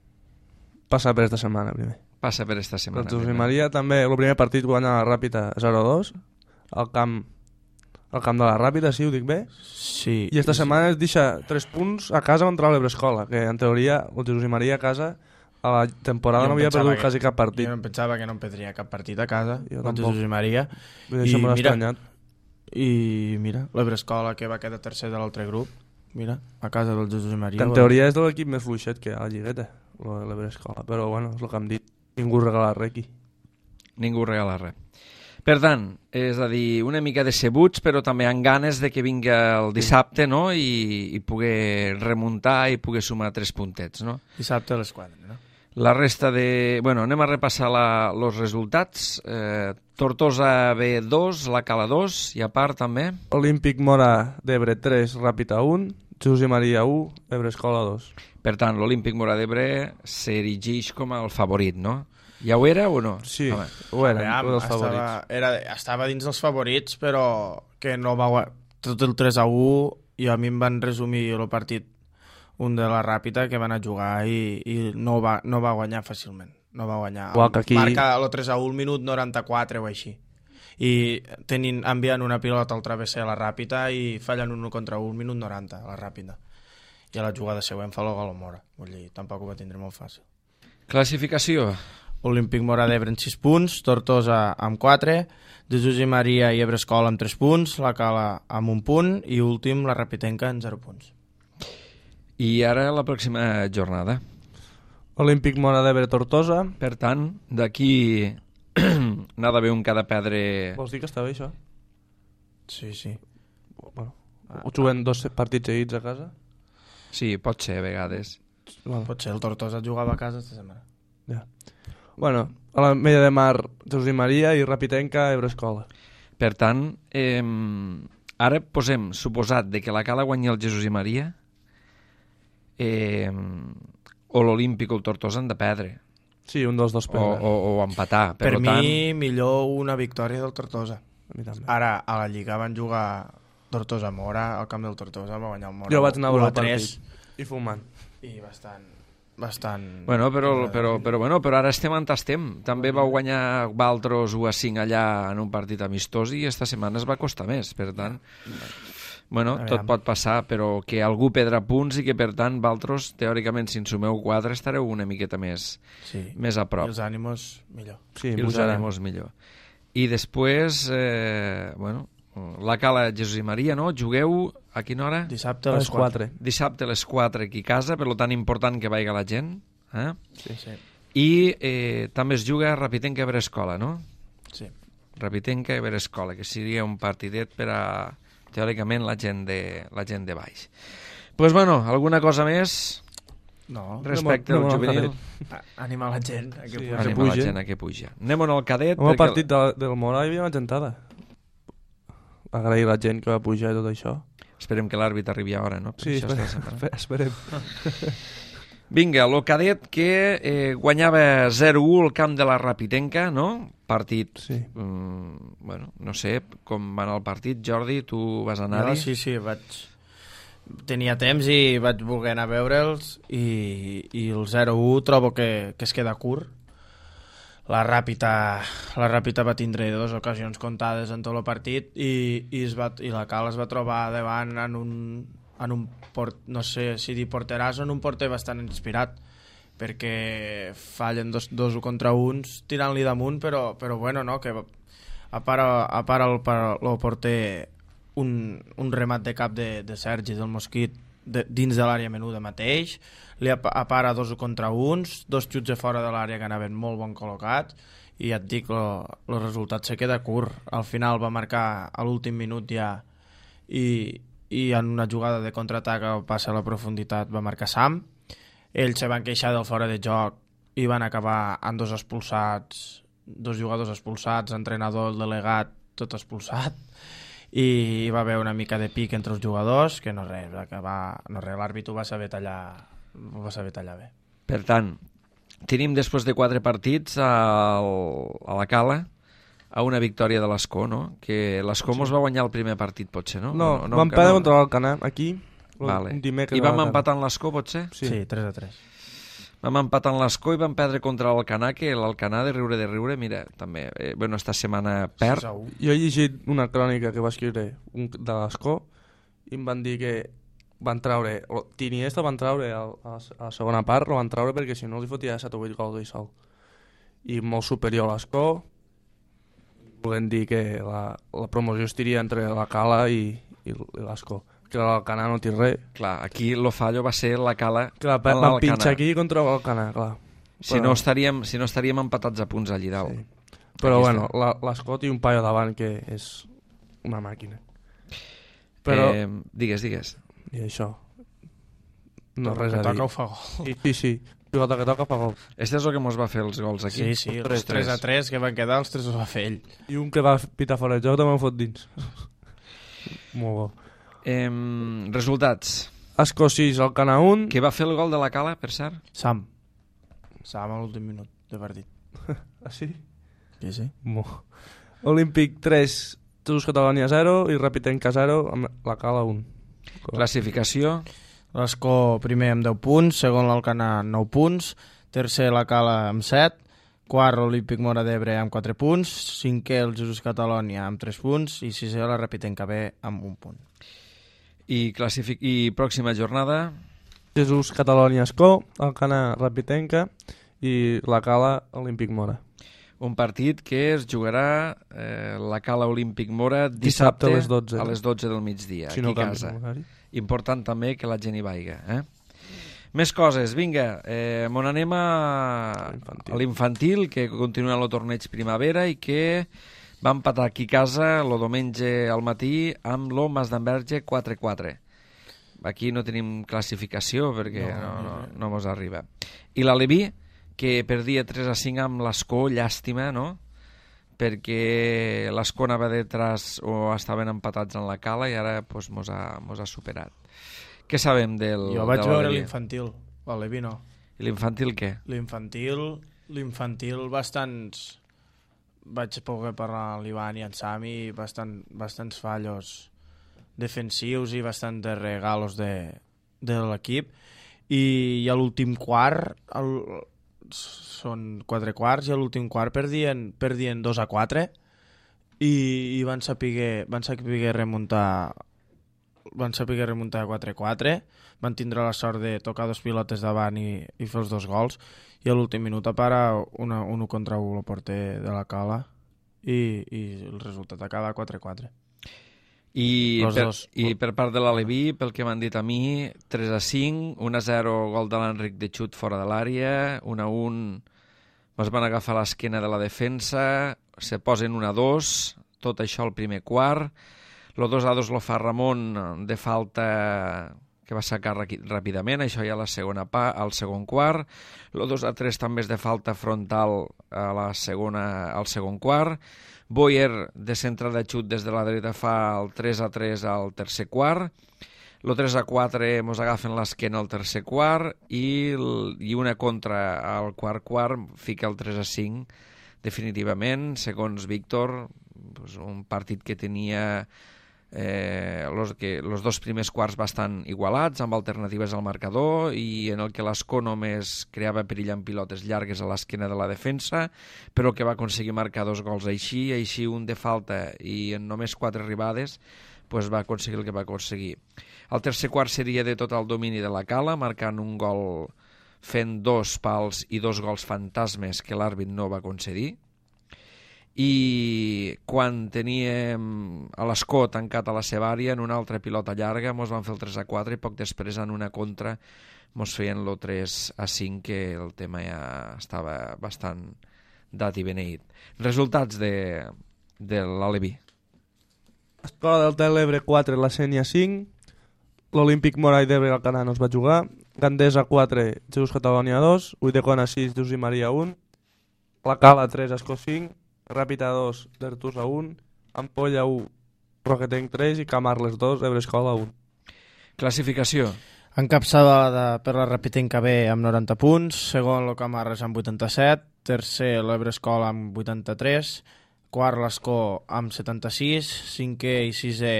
Passa per esta setmana primer.
Passa per esta
El
setmana.
Josep
primer.
Maria també, el primer partit guanya la Ràpita zero a dos, al camp, al camp de la Ràpita, sí, ho dic bé?
Sí.
I esta setmana es deixa tres punts a casa contra l'Ebrescola, que en teoria el Josep Maria a casa a la temporada
Jo
no havia
pensava
perdut quasi cap partit.
Jo no pensava que no em perdria cap partit a casa,
Jo
contra
tampoc.
Josep Maria.
I això
I
m'ha
mira,
estranyat.
I mira, l'Ebrescola que va quedar tercer de l'altre grup, mira, a casa del Josep Maria.
Que en teoria és de l'equip més fluixet que hi ha a la lligueta, l'Ebrescola, però bueno, és el que hem dit. Ningú regala res aquí.
Ningú regala res. Per tant, és a dir, una mica decebuts, però també amb ganes de que vinga el dissabte, no?, i, i poder remuntar i poder sumar tres puntets, no?
Dissabte a les quatre, no?
La resta de... Bueno, anem a repassar la, los resultats. Eh, Tortosa B dos, la Cala dos, i a part també...
Olímpic Mora d'Ebre tres, Ràpita un, Josep Maria u, Ebrescola dos.
Per tant, l'Olímpic Mora d'Ebre s'erigeix com el favorit, no?
Ja ho era o no?
Sí,
Home.
ho eren,
Aviam,
un dels
estava,
favorits.
era, estava dins dels favorits, però que no va guanyar. Tot el tres a u, i a mi em van resumir el partit un de la Ràpita que van a jugar i, i no, va, no va guanyar fàcilment. No va guanyar.
Igual que aquí...
Marca el tres a u al minut noranta-quatre o així. I tenint, enviant una pilota al travesser a la Ràpita i fallen un contra un, minut noranta a la Ràpita. I a la jugada següent fa el gol a Mora. Vull dir, tampoc ho va tindre molt fàcil.
Classificació.
Olímpic Mora d'Ebre amb sis punts, Tortosa amb quatre, Jesús i Maria i Ebrescola amb tres punts, la Cala amb un punt i últim la Rapitenca amb zero punts.
I ara la pròxima jornada.
Olímpic Mora d'Ebre Tortosa.
Per tant, d'aquí n'ha d'haver un que ha de perdre...
Vols dir que està bé, això?
Sí, sí.
Bueno, ho juguen dos partits seguits a casa?
Sí, pot ser a vegades.
Bueno,
Potser el Tortosa jugava a casa esta setmana.
ja. Bueno, a la Mella de Mar, Jesús i Maria i Rapitenca, Ebrescola.
Per tant, eh, ara posem suposat de que la Cala guanyi el Jesús i Maria, eh, o l'Olímpic o el Tortosa han de perdre.
Sí, un dels dos
O,
perdre.
o, o empatar. Per,
Per
tant,
mi, millor una victòria del Tortosa.
A mi també.
Ara, a la Lliga van jugar Tortosa-Mora, al camp del Tortosa va guanyar el Mora.
Jo vaig anar a veure
u
el
tres,
partit. I fumant.
I bastant... bastant...
Bueno, però, però, però, bueno, però ara estem on estem. També va guanyar Valtros u a cinc allà en un partit amistós i esta setmana es va costar més. Per tant, bueno, tot pot passar, però que algú perdrà punts i que, per tant, Valtros, teòricament, si en sumeu quatre, estareu una miqueta més,
Sí.
més a prop.
I els ànimos, millor.
Sí,
I els
pujaran.
ànimos millor. I després, eh, bueno, la Cala Jesús i Maria, no? Jugueu a quina hora?
Dissabte
A
a
les
les quatre.
quatre.
Dissabte a les quatre aquí a casa, per tant important que vaiga la gent. Eh?
Sí, sí.
I eh, també es juga a Rapitenca Ebrescola, no?
sí.
Rapitenca Ebrescola, que seria un partidet per a, teòricament, la gent de, la gent de baix. Doncs, pues, bueno, alguna cosa més
No,
respecte
anem
al
al
juvenil?
a- animar la gent a que
Sí,
pugi.
a que
Anem a la
pugi.
gent a que puja. Anem al cadet.
Amb el
perquè-
partit de, del Mora hi havia una gentada. Agrair la gent que va pujar i tot això.
Esperem que l'àrbit arribi a hora, no? Per
Sí,
això
espere,
està separat.
espere, esperem.
Vinga, el cadet que eh, guanyava zero u al camp de la Rapitenca, no? Partit,
Sí.
mm, bueno, no sé com va anar el partit. Jordi, tu vas
Jo,
anar-hi?
sí, sí, vaig... Tenia temps i vaig voler anar a veure'ls i, i el zero u trobo que, que es queda curt. La Ràpita, la Ràpita va tindre dues ocasions comptades en tot el partit i, i, es va, i la Cala es va trobar davant en un, en un port, no sé si dir porteràs o en un porter bastant inspirat, perquè fallen dos, dos contra uns tirant-li damunt, però, però bueno, no, que a part, a part el, el porter un, un remat de cap de, de Sergi del Mosquit de, dins de l'àrea menuda mateix, li apara dos contra uns, dos xuts de fora de l'àrea que anaven molt bon col·locats i ja et dic, el resultat se queda curt. Al final va marcar a l'últim minut ja i, i en una jugada de contraatac al passe a la profunditat va marcar Sam. Ells se van queixar del fora de joc i van acabar amb dos expulsats, dos jugadors expulsats, entrenador, el delegat, tot expulsat, i hi va haver una mica de pic entre els jugadors, que no res, va acabar, no res, l'àrbit ho va saber tallar, ho va saber tallar bé.
Per tant, tenim després de quatre partits al, a la Cala a una victòria de l'Escó, no? Que l'Escó mos va guanyar el primer partit, potser, no?
No,
no,
no vam perdre contra l'Alcanar, aquí,
Vale.
un dimecres.
I vam
a la tarda.
empatar en l'Escó, potser?
Sí.
Sí, tres a tres.
Vam empatar en l'Escó i vam perdre contra l'Alcanar, que l'Alcanar de riure de riure, mira, també, eh, bueno, esta setmana perd.
sis a u.
Jo he llegit una crònica que va escriure un, de l'Escó i em van dir que van treure, Tiniesta van treure a, a, a la segona part, lo van treure perquè si no li fotia set o vuit gols ell sol. I molt superior a l'Escó, volem dir que la, la promoció estiria entre la Cala i, i l'Escó, que l'Alcanar no té res.
Clar, aquí lo fallo va ser la Cala
Clar,
en
van
l'Alcanar.
pinxar aquí contra l'Alcanar, clar.
Si,
Però-
no estaríem, si no estaríem empatats a punts allí dalt.
Sí. Però
Aquí
bueno, la- l'Escó té un paio davant que és una màquina. Però,
Eh, digues, digues.
i això, no
El
res
que
a
toca
dir.
ho fa gol.
Sí, sí, sí. Pilota que toca fa gol.
Este és el que mos va fer els gols aquí.
Sí, sí, els
Tres,
tres a tres que van quedar, els tres els va fer ell.
I un que va pitar fora de joc també ho fot dins. Molt bo.
Eh, resultats.
Escó sis, Alcanar un.
Qui va fer el gol de la Cala, per cert?
Sam. Sam a l'últim minut de partit.
Ah, sí?
Sí, sí.
Mo. Olímpic tres, Jesús Catalònia zero i Rapitenca zero amb la Cala un.
Classificació?
L'Escó primer amb deu punts, segon l'Alcanar nou punts, tercer la Cala amb set, quart l'Olímpic Móra d'Ebre amb quatre punts, cinquè el Jesús Catalònia amb tres punts i sisè la Rapitenca B amb un punt.
I, classific... I pròxima jornada?
Jesús Catalònia Escó, Alcanar Rapitenca i la Cala Olímpic Móra.
Un partit que es jugarà eh, la Cala Olímpic Móra dissabte,
dissabte a les dotze.
A les dotze del migdia,
si
aquí
no
a casa.
Horari.
Important també que la gent hi vaiga. Eh? Més coses, vinga, eh, mon anem a, a l'infantil, que continua el torneig primavera i que va empatar aquí a casa el diumenge al matí amb lo Masdenverge quatre quatre. Aquí no tenim classificació perquè no, no, no, no mos arriba. I l'Aleví, que perdia tres a cinc amb l'Escó, llàstima, no? Perquè l'Escó anava detrás o estaven empatats en la Cala i ara pues, mos, ha, mos ha superat. Què sabem del
Jo vaig
de
veure l'infantil, l'Aleví no.
I l'infantil què?
L'infantil, l'infantil bastants... Vaig poder parlar amb l'Ivan i en Sami, bastant, bastants fallos defensius i bastant de regalos de, de l'equip. I, i a l'últim quart... El, són quatre quarts i a l'últim quart perdien, perdien dos a quatre i, i van saber van saber remuntar van saber remuntar a quatre quatre, van tindre la sort de tocar dos pilotes davant i, i fer els dos gols i a l'últim minut para una, un contra un el porter de la Cala i, i el resultat acaba quatre quatre.
I per,
dos.
I per part de l'Aleví, pel que m'han dit a mi, tres a cinc, un a zero gol de l'Enric de xut fora de l'àrea, un a un es van agafar l'esquena de la defensa, se posen un a dos, tot això al primer quart, el dos a dos lo fa Ramon de falta que va sacar ràpidament, això ja a la segona pa, al segon quart, el dos a tres també és de falta frontal a la segona, al segon quart, Boyer de centre de xut des de la dreta fa el tres a tres al tercer quart, el tres a quatre mos agafen l'esquena al tercer quart i, el, i una contra al quart quart fica el tres a cinc definitivament, segons Víctor, pues un partit que tenia eh, los, que, los dos primers quarts bastant igualats, amb alternatives al marcador i en el que l'Escó només creava perill amb pilotes llargues a l'esquena de la defensa, però que va aconseguir marcar dos gols així, així un de falta i en només quatre arribades pues va aconseguir el que va aconseguir. El tercer quart seria de tot el domini de la Cala, marcant un gol fent dos pals i dos gols fantasmes que l'àrbit no va concedir. I quan teníem a l'Escó tancat a la seva àrea en una altra pilota llarga mos van fer el tres a quatre i poc després en una contra mos feien el tres a cinc, que el tema ja estava bastant dat i beneït. Resultats de, de l'Aleví.
Escola del Telebre quatre, la Sénia cinc, l'Olímpic Móra d'Ebre al Canà no es va jugar, Gandesa quatre, Jesús Catalònia dos, Ulldecona sis, Jesús i Maria un, la Cala tres, Escó cinc, Ràpita dos, Dertusa un, Ampolla un, Roquetenc tres i Camarles dos, Ebre Escola un.
Classificació.
Encapçalada per la Rapitenca B amb noranta punts, segon el Camarles amb vuitanta-set, tercer l'Ebre Escola amb vuitanta-tres, quart l'Escó amb setanta-sis, cinquè i sisè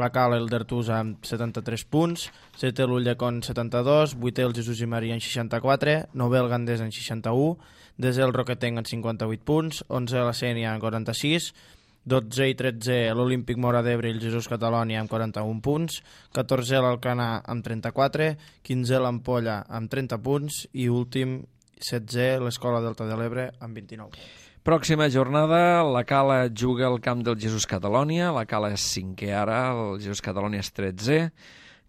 la Cala i el Dertusa amb setanta-tres punts, setè l'Ulldecon setanta-dos, vuitè el Jesús i Maria en seixanta-quatre, novè el Gandés en seixanta-u, desè el Roquetenc en cinquanta-vuit punts, onzè la Sénia en quaranta-sis, dotze i tretze l'Olímpic Móra d'Ebre i el Jesús Catalònia amb quaranta-un punts, catorzè l'Alcanar amb trenta-quatre, quinzè l'Ampolla amb trenta punts i últim, setzè l'Escola Delta de l'Ebre amb vint-i-nou punts.
Pròxima jornada, la Cala juga al camp del Jesús Catalònia, la Cala és cinquè ara, el Jesús Catalònia és tretzè,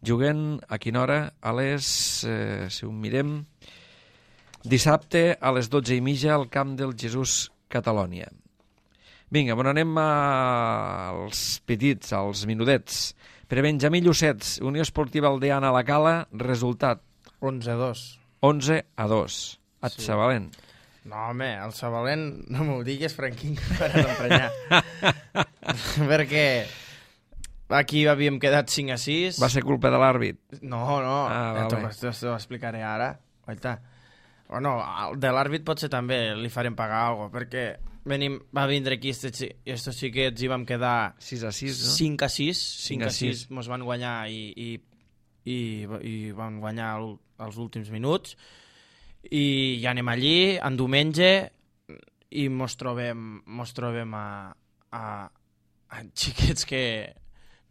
juguen a quina hora? A les, eh, si ho mirem, dissabte a les dotze i mitja al camp del Jesús Catalònia. Vinga, bon, anem als petits, als minudets. Per Benjamí Llucets, Unió Esportiva Aldeana a la Cala, resultat
onze a dos.
onze a dos. Et
Sí.
Sabalent.
No, home, el Sabalent, no m'ho digues, Franquín, que faràs emprenyar. Perquè aquí havíem quedat cinc a sis.
Va ser culpa de l'àrbit.
No, no,
Ah,
ja
vale.
t'ho t'ho explicaré ara. Guaita. o no, de l'àrbit potser també li farem pagar alguna cosa, perquè venim, va vindre aquí estos xiquets i vam quedar
sis a sis, no?
cinc a sis, cinc a sis mos van guanyar i, i, i, i van guanyar els últims minuts, i ja anem allí, en diumenge, i mos trobem, mos trobem a, a, a xiquets que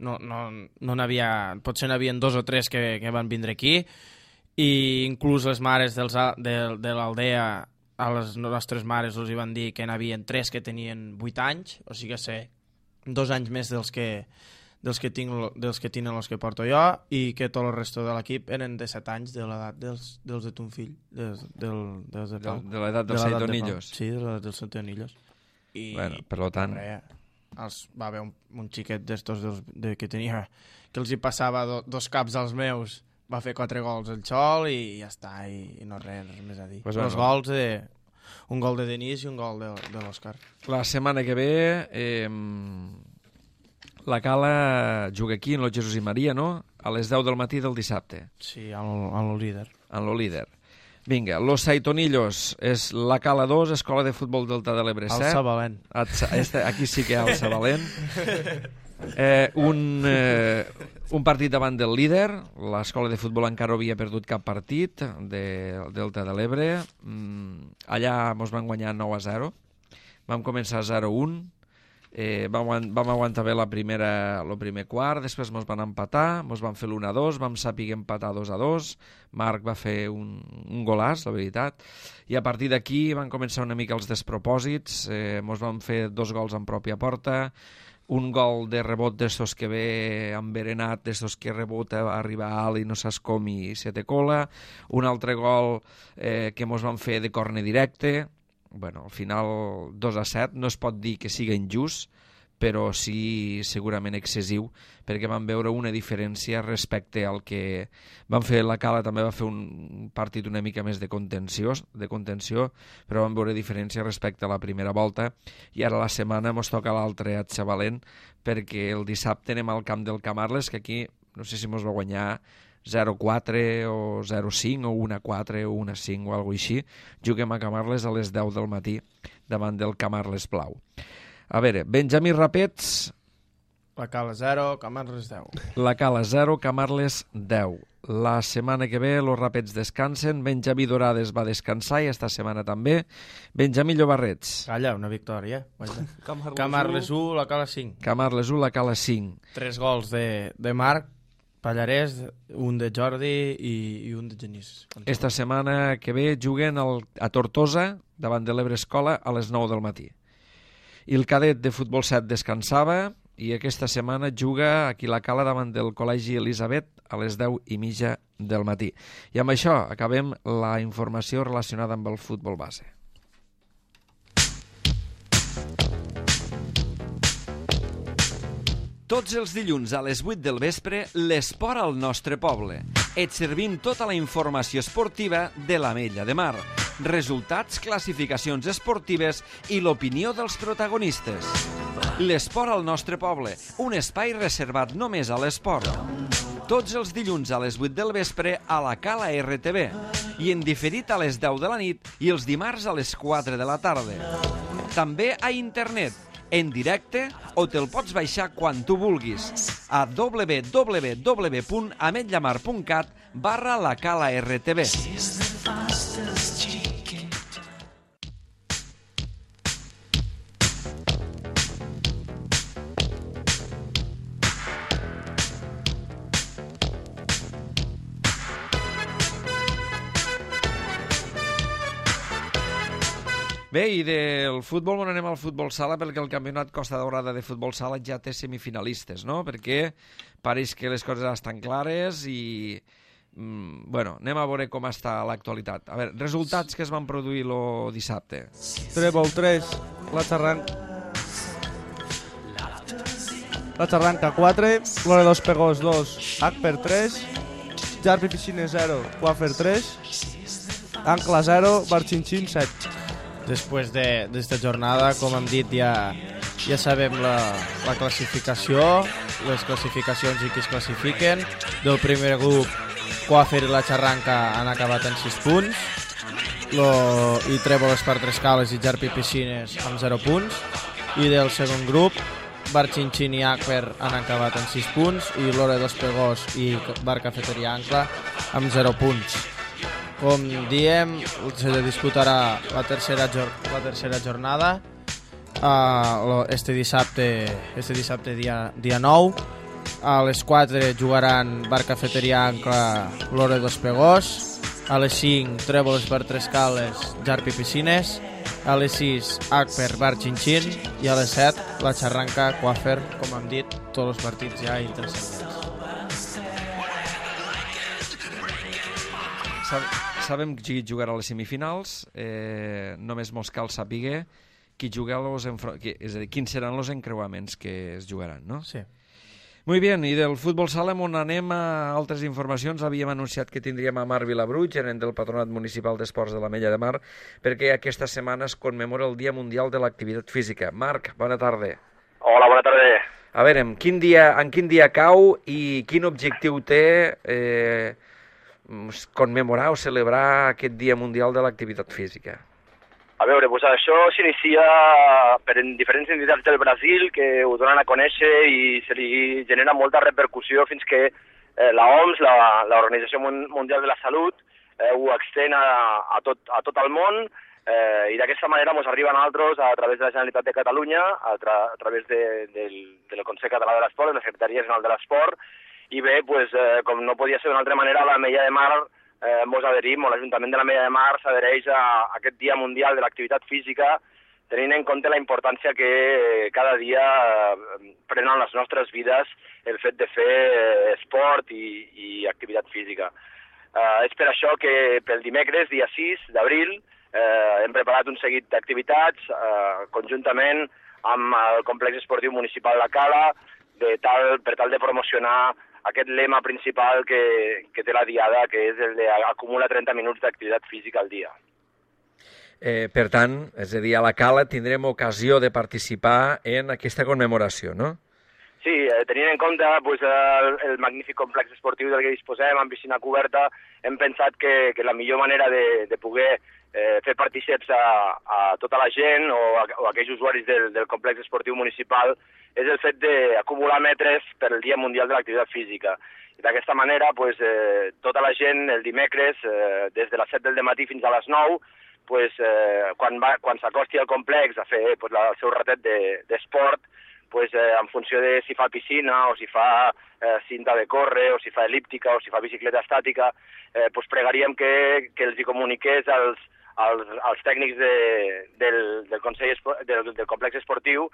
no, no, no n'havia, potser n'havien dos o tres que, que van vindre aquí, i inclús les mares dels, de, de l'aldea, a les nostres mares els hi van dir que n'havien tres que tenien vuit anys, o sigui que sé, dos anys més dels que, dels que, tinc, dels que tenen els que porto jo, i que tot el resto de l'equip eren de set anys, de l'edat dels, dels de ton fill, dels, del, dels de Pau.
De, de l'edat dels Saitonillos.
Sí, de l'edat dels Saitonillos. I,
bueno, per lo tant...
Res, els, va haver un, un xiquet d'estos de, que tenia, que els hi passava do, dos caps als meus, va fer quatre gols el xol i ja està, i, i no res, res més a dir. Pues els bueno. gols, de, un gol de Denis i un gol de, de l'Òscar.
La setmana que ve eh, la Cala juga aquí en el Jesús i Maria, no? A les deu del matí del dissabte.
Sí, en el líder.
En el líder. Vinga, Los Saitonillos és la Cala dos, Escola de Futbol Delta de l'Ebre set.
Alça Valent.
Este, aquí sí que alça Valent. Eh, un, eh, un partit davant del líder. L'escola de futbol encara havia perdut cap partit de Delta de l'Ebre. Mm, allà ens van guanyar nou a zero. Vam començar zero a un. Eh, vam, vam aguantar bé la primera, el primer quart, després ens van empatar, ens van fer l'u a dos, vam saber empatar dos a dos, Marc va fer un, un golàs, la veritat, i a partir d'aquí van començar una mica els despropòsits, eh, ens van fer dos gols en pròpia porta, un gol de rebot d'estos que ve enverenat, d'estos que rebota, arriba alt i no saps com i se te cola, un altre gol eh, que ens van fer de corne directe. Bueno, al final dos a set, no es pot dir que siga injust, però sí segurament excessiu, perquè vam veure una diferència respecte al que van fer. La Cala també va fer un partit una mica més de contenció, de contenció, però vam veure diferència respecte a la primera volta, i ara la setmana ens toca l'altre a Xavalent, perquè el dissabte anem al camp del Camarles, que aquí no sé si ens va guanyar zero a quatre o zero a cinc o un a quatre o un a cinc o alguna cosa així. Juguem a Camarles a les deu del matí davant del Camarles Blau. A veure, Benjamí Rapets...
La Cala zero, Camarles deu.
La Cala zero, Camarles deu. La setmana que ve els Rapets descansen, Benjamí Dorades va descansar i esta setmana també. Benjamí Llobarrets.
Calla, una victòria. Camarles u, la Cala cinc.
Camarles u, la Cala cinc.
Tres gols de, de Marc, Pallarès, un de Jordi i, i un de Genís.
Esta setmana que ve juguen el, a Tortosa, davant de l'Ebre Escola, a les nou del matí. I el cadet de futbol set descansava i aquesta setmana juga aquí la Cala davant del Col·legi Elisabet a les deu i mitja del matí. I amb això acabem la informació relacionada amb el futbol base.
Tots els dilluns a les vuit del vespre, l'esport al nostre poble. Et servim tota la informació esportiva de l'Ametlla de Mar. Resultats, classificacions esportives i l'opinió dels protagonistes. L'esport al nostre poble, un espai reservat només a l'esport. Tots els dilluns a les vuit del vespre a la Cala R T V i en diferit a les deu de la nit i els dimarts a les quatre de la tarda. També a internet, en directe, o te'l pots baixar quan tu vulguis a w w w punt ametllamar punt cat barra la Cala R T V.
Bé, i del futbol on anem al futbol sala, perquè el campionat Costa Daurada de futbol sala ja té semifinalistes, no? Perquè pareix que les coses estan clares i... Mm, bueno, anem a veure com està l'actualitat. A veure, resultats que es van produir el dissabte.
Trèvol tres, la Xarranca... La Xarranca quatre, Lore dos Pegós dos, H per tres, Jarpi Piscines zero, Quafer tres, Ancla zero, Barxinxin set.
Després d'esta de, jornada, com hem dit, ja, ja sabem la, la classificació, les classificacions i qui es classifiquen. Del primer grup, Quafer i la Xarranca han acabat en sis punts. lo, i Trèvoles per Tres Cales i Jarpi Piscines amb zero punts, i del segon grup Bar Xinxin i Akper han acabat amb sis punts i Lore dos Pegós i Bar Cafeteria Ancla amb zero punts. Com diem, se disputarà la tercera, la tercera jornada uh, este dissabte, este dissabte dia, dia nou. A les quatre jugaran Bar Cafeteria Ancla, Lore dos Pegós. A les cinc, Trèvoles per Tres Cales, Jarpi Piscines. A les sis, Akper, Bar Xinxin. I a les set, la Xarranca, Quafer, com hem dit, tots els partits ja intercedents.
Sabem qui jugarà a les semifinals, eh, només mos cal saber qui juga los enfro... és a dir, quins seran els encreuaments que es jugaran, no?
Sí.
Muy bien, i del futbol sala on anem a altres informacions. Havíem anunciat que tindríem a Marc Vilabruig, gerent del Patronat Municipal d'Esports de l'Ametlla de Mar, perquè aquesta setmana es commemora el Dia Mundial de l'Activitat Física. Marc, bona tarda.
Hola, bona tarda.
A veure, en quin dia, en quin dia cau i quin objectiu té eh, commemorar o celebrar aquest Dia Mundial de l'Activitat Física?
A veure, doncs això s'inicia per diferents entitats del Brasil que ho donen a conèixer i se li genera molta repercussió fins que eh, la O M S, l'Organització Mundial de la Salut, eh, ho extén a, a, tot, a tot el món eh, i d'aquesta manera ens arriben altres a través de la Generalitat de Catalunya, a, tra a través de, del, del Consell Català de l'Esport, de la Secretaria General de l'Esport, i bé, pues, eh, com no podia ser d'una altra manera, la Ametlla de Mar Eh, mos adherim, o l'Ajuntament de l'Ametlla de Mar s'adhereix a, a aquest Dia Mundial de l'Activitat Física, tenint en compte la importància que eh, cada dia eh, prenen les nostres vides el fet de fer eh, esport i, i activitat física. Eh, és per això que pel dimecres, dia sis d'abril, eh, hem preparat un seguit d'activitats eh, conjuntament amb el complex esportiu municipal La Cala, de tal, per tal de promocionar aquest lema principal que, que té la diada, que és el d'acumular trenta minuts d'activitat física al dia.
Eh, per tant, és a dir, a la Cala tindrem ocasió de participar en aquesta commemoració, no?
Sí, eh, tenint en compte pues, el, el magnífic complex esportiu del que disposem, amb piscina coberta, hem pensat que, que la millor manera de, de poder eh, fer partíceps a, a tota la gent o a, o a aquells usuaris del, del complex esportiu municipal és el fet d'acumular metres per al Dia Mundial de l'Activitat Física. I d'aquesta manera, pues, eh, tota la gent el dimecres, eh, des de les set del matí fins a les nou, pues, eh, quan, va, quan s'acosti al complex a fer pues, la, el seu ratet d'esport, de, pues, eh, en funció de si fa piscina o si fa eh, cinta de córrer o si fa elíptica o si fa bicicleta estàtica, eh, pues, pregaríem que, que els hi comuniqués als, als, als tècnics de, del, del, Consell, del, del complex esportiu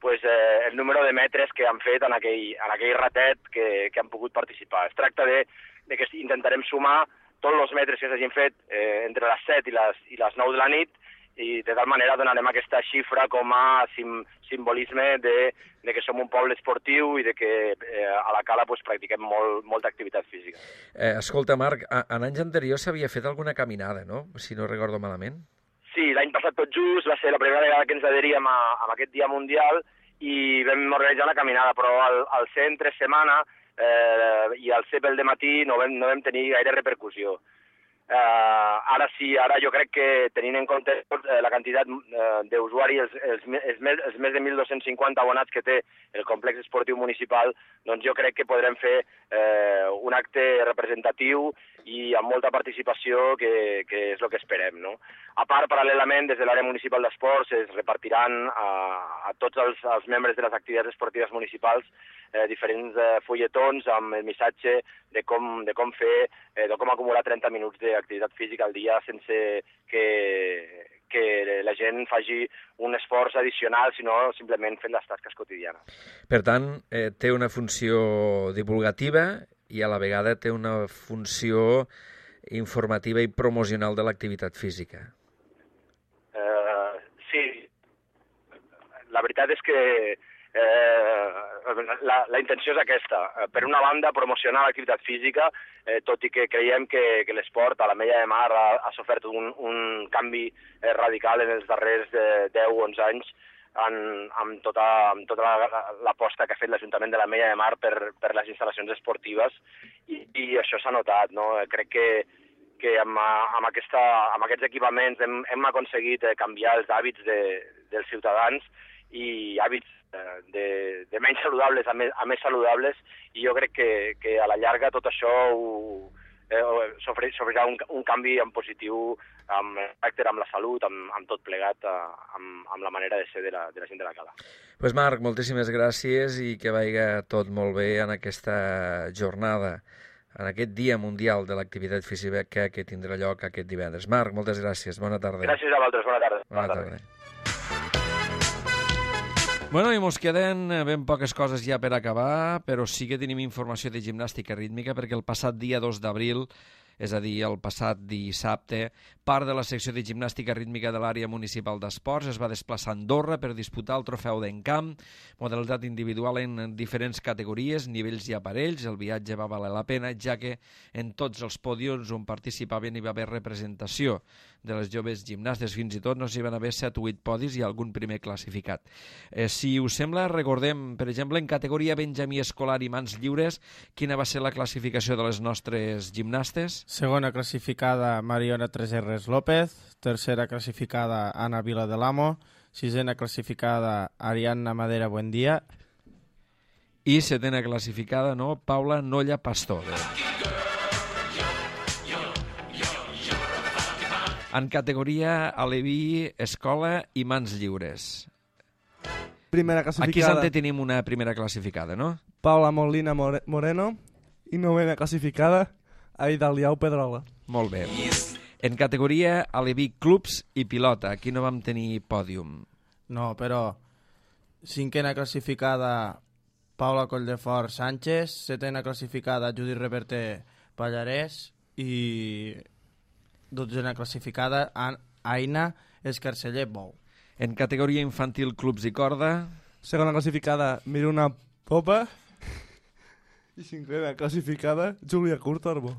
pues, eh, el número de metres que han fet en aquell, en aquell ratet que, que han pogut participar. Es tracta de, de que intentarem sumar tots els metres que s'hagin fet eh, entre les set i les, i les nou de la nit i de tal manera donarem aquesta xifra com a sim, simbolisme de, de que som un poble esportiu i de que eh, a la Cala pues, practiquem molt, molta activitat física.
Eh, escolta, Marc, en anys anteriors s'havia fet alguna caminada, no? Si no recordo malament.
Sí, l'any passat tot just va ser la primera vegada que ens adheríem a, a aquest Dia Mundial i vam organitzar la caminada, però al, al ser entre setmana eh, i al ser pel dematí no vam, no vam tenir gaire repercussió. Uh, ara sí, ara jo crec que tenint en compte eh, la quantitat eh, d'usuaris, els, els, els, més, els més de mil dos-cents cinquanta abonats que té el complex esportiu municipal, doncs jo crec que podrem fer eh, un acte representatiu i amb molta participació, que, que és el que esperem, no? A part, paral·lelament, des de l'àrea municipal d'esports es repartiran a, a tots els, els membres de les activitats esportives municipals eh, diferents eh, fulletons amb el missatge de com, de com fer, eh, de com acumular trenta minuts d'activitat física al dia sense que, que la gent faci un esforç addicional, sinó simplement fent les tasques quotidianes.
Per tant, eh, té una funció divulgativa i a la vegada té una funció informativa i promocional de l'activitat física.
Uh, sí, la veritat és que eh, la, la intenció és aquesta. Per una banda, promocionar l'activitat física, eh, tot i que creiem que, que l'esport a l'Ametlla de Mar ha, ha sofert un, un canvi eh, radical en els darrers eh, deu o onze anys, en, amb tota, amb tota l'aposta que ha fet l'Ajuntament de l'Ametlla de Mar per, per les instal·lacions esportives i, i això s'ha notat, no? Crec que, que amb, amb, aquesta, amb aquests equipaments hem, hem aconseguit canviar els hàbits de, dels ciutadans i hàbits de, de menys saludables a més, a més saludables, i jo crec que, que a la llarga tot això ho, eh, s'ofrirà un, un canvi en positiu amb el caràcter, amb la salut, amb, amb tot plegat, amb, amb la manera de ser de la, de la gent de la cala.
Pues Marc, moltíssimes gràcies i que vagi tot molt bé en aquesta jornada, en aquest Dia Mundial de l'Activitat Física que tindrà lloc aquest divendres. Marc, moltes gràcies, bona tarda.
Gràcies a vosaltres, bona tarda.
Bona, bona tarda. tarda.
Bueno, i mos queden ben poques coses ja per acabar, però sí que tenim informació de gimnàstica rítmica, perquè el passat dia dos d'abril, és a dir, el passat dissabte, part de la secció de gimnàstica rítmica de l'àrea municipal d'esports es va desplaçar a Andorra per disputar el trofeu d'Encamp, modalitat individual en diferents categories, nivells i aparells. El viatge va valer la pena, ja que en tots els pòdiums on participaven hi va haver representació de les joves gimnastes, fins i tot no s'hi van haver set o vuit podis i algun primer classificat. Eh, si us sembla, recordem, per exemple, en categoria Benjamí escolar i mans lliures, quina va ser la classificació de les nostres gimnastes?
Segona classificada Mariona Treserres López, tercera classificada Ana Vila de l'Amo, sisena classificada Ariadna Madera Buendía
i setena classificada, no, Paula Nolla Pastor. En categoria Aleví, escola i mans lliures.
Primera classificada.
Aquí Sante tenim una primera classificada, no?
Paula Molina More Moreno i novena classificada Aida Liau Pedrola.
Molt bé. En categoria Aleví clubs i pilota, aquí no vam tenir pòdium.
No, però cinquena classificada Paula Colldefort Sánchez, setena classificada Judit Reverte Pallarès i dotzena classificada Aina Escarceller Bou.
En categoria infantil clubs i corda,
segona classificada Miruna Popa i cinquena classificada Júlia Curtorbo.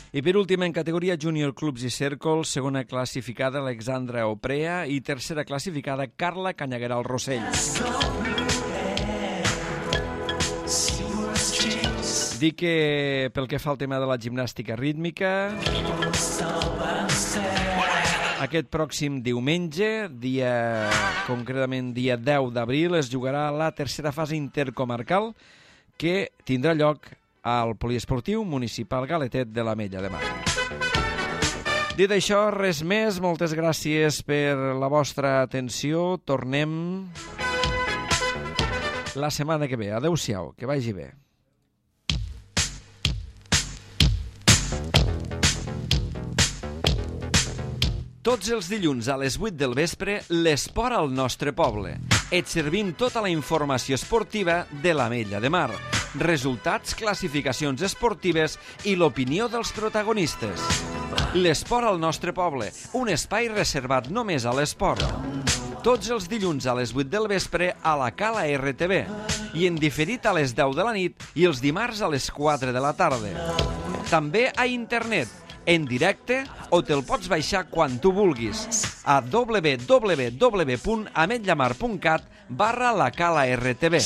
I per últim, en categoria júnior clubs i cèrcols, segona classificada Alexandra Oprea i tercera classificada Carla Canyagueral Rossell. Dic que pel que fa al tema de la gimnàstica rítmica, aquest pròxim diumenge, dia, concretament dia deu d'abril, es jugarà la tercera fase intercomarcal que tindrà lloc al poliesportiu municipal Galetet de l'Ametlla de Mar. Dit això, res més, moltes gràcies per la vostra atenció. Tornem la setmana que ve. Adéu-siau, que vagi bé. Tots els dilluns a les vuit del vespre, l'esport al nostre poble. Et servim tota la informació esportiva de l'Ametlla de Mar. Resultats, classificacions esportives i l'opinió dels protagonistes. L'esport al nostre poble, un espai reservat només a l'esport. Tots els dilluns a les vuit del vespre a la Cala R T V i en diferit a les deu de la nit i els dimarts a les quatre de la tarda. També a internet, en directe, o te'l pots baixar quan tu vulguis a w w w punt ametllamar punt cat barra la Cala R T V.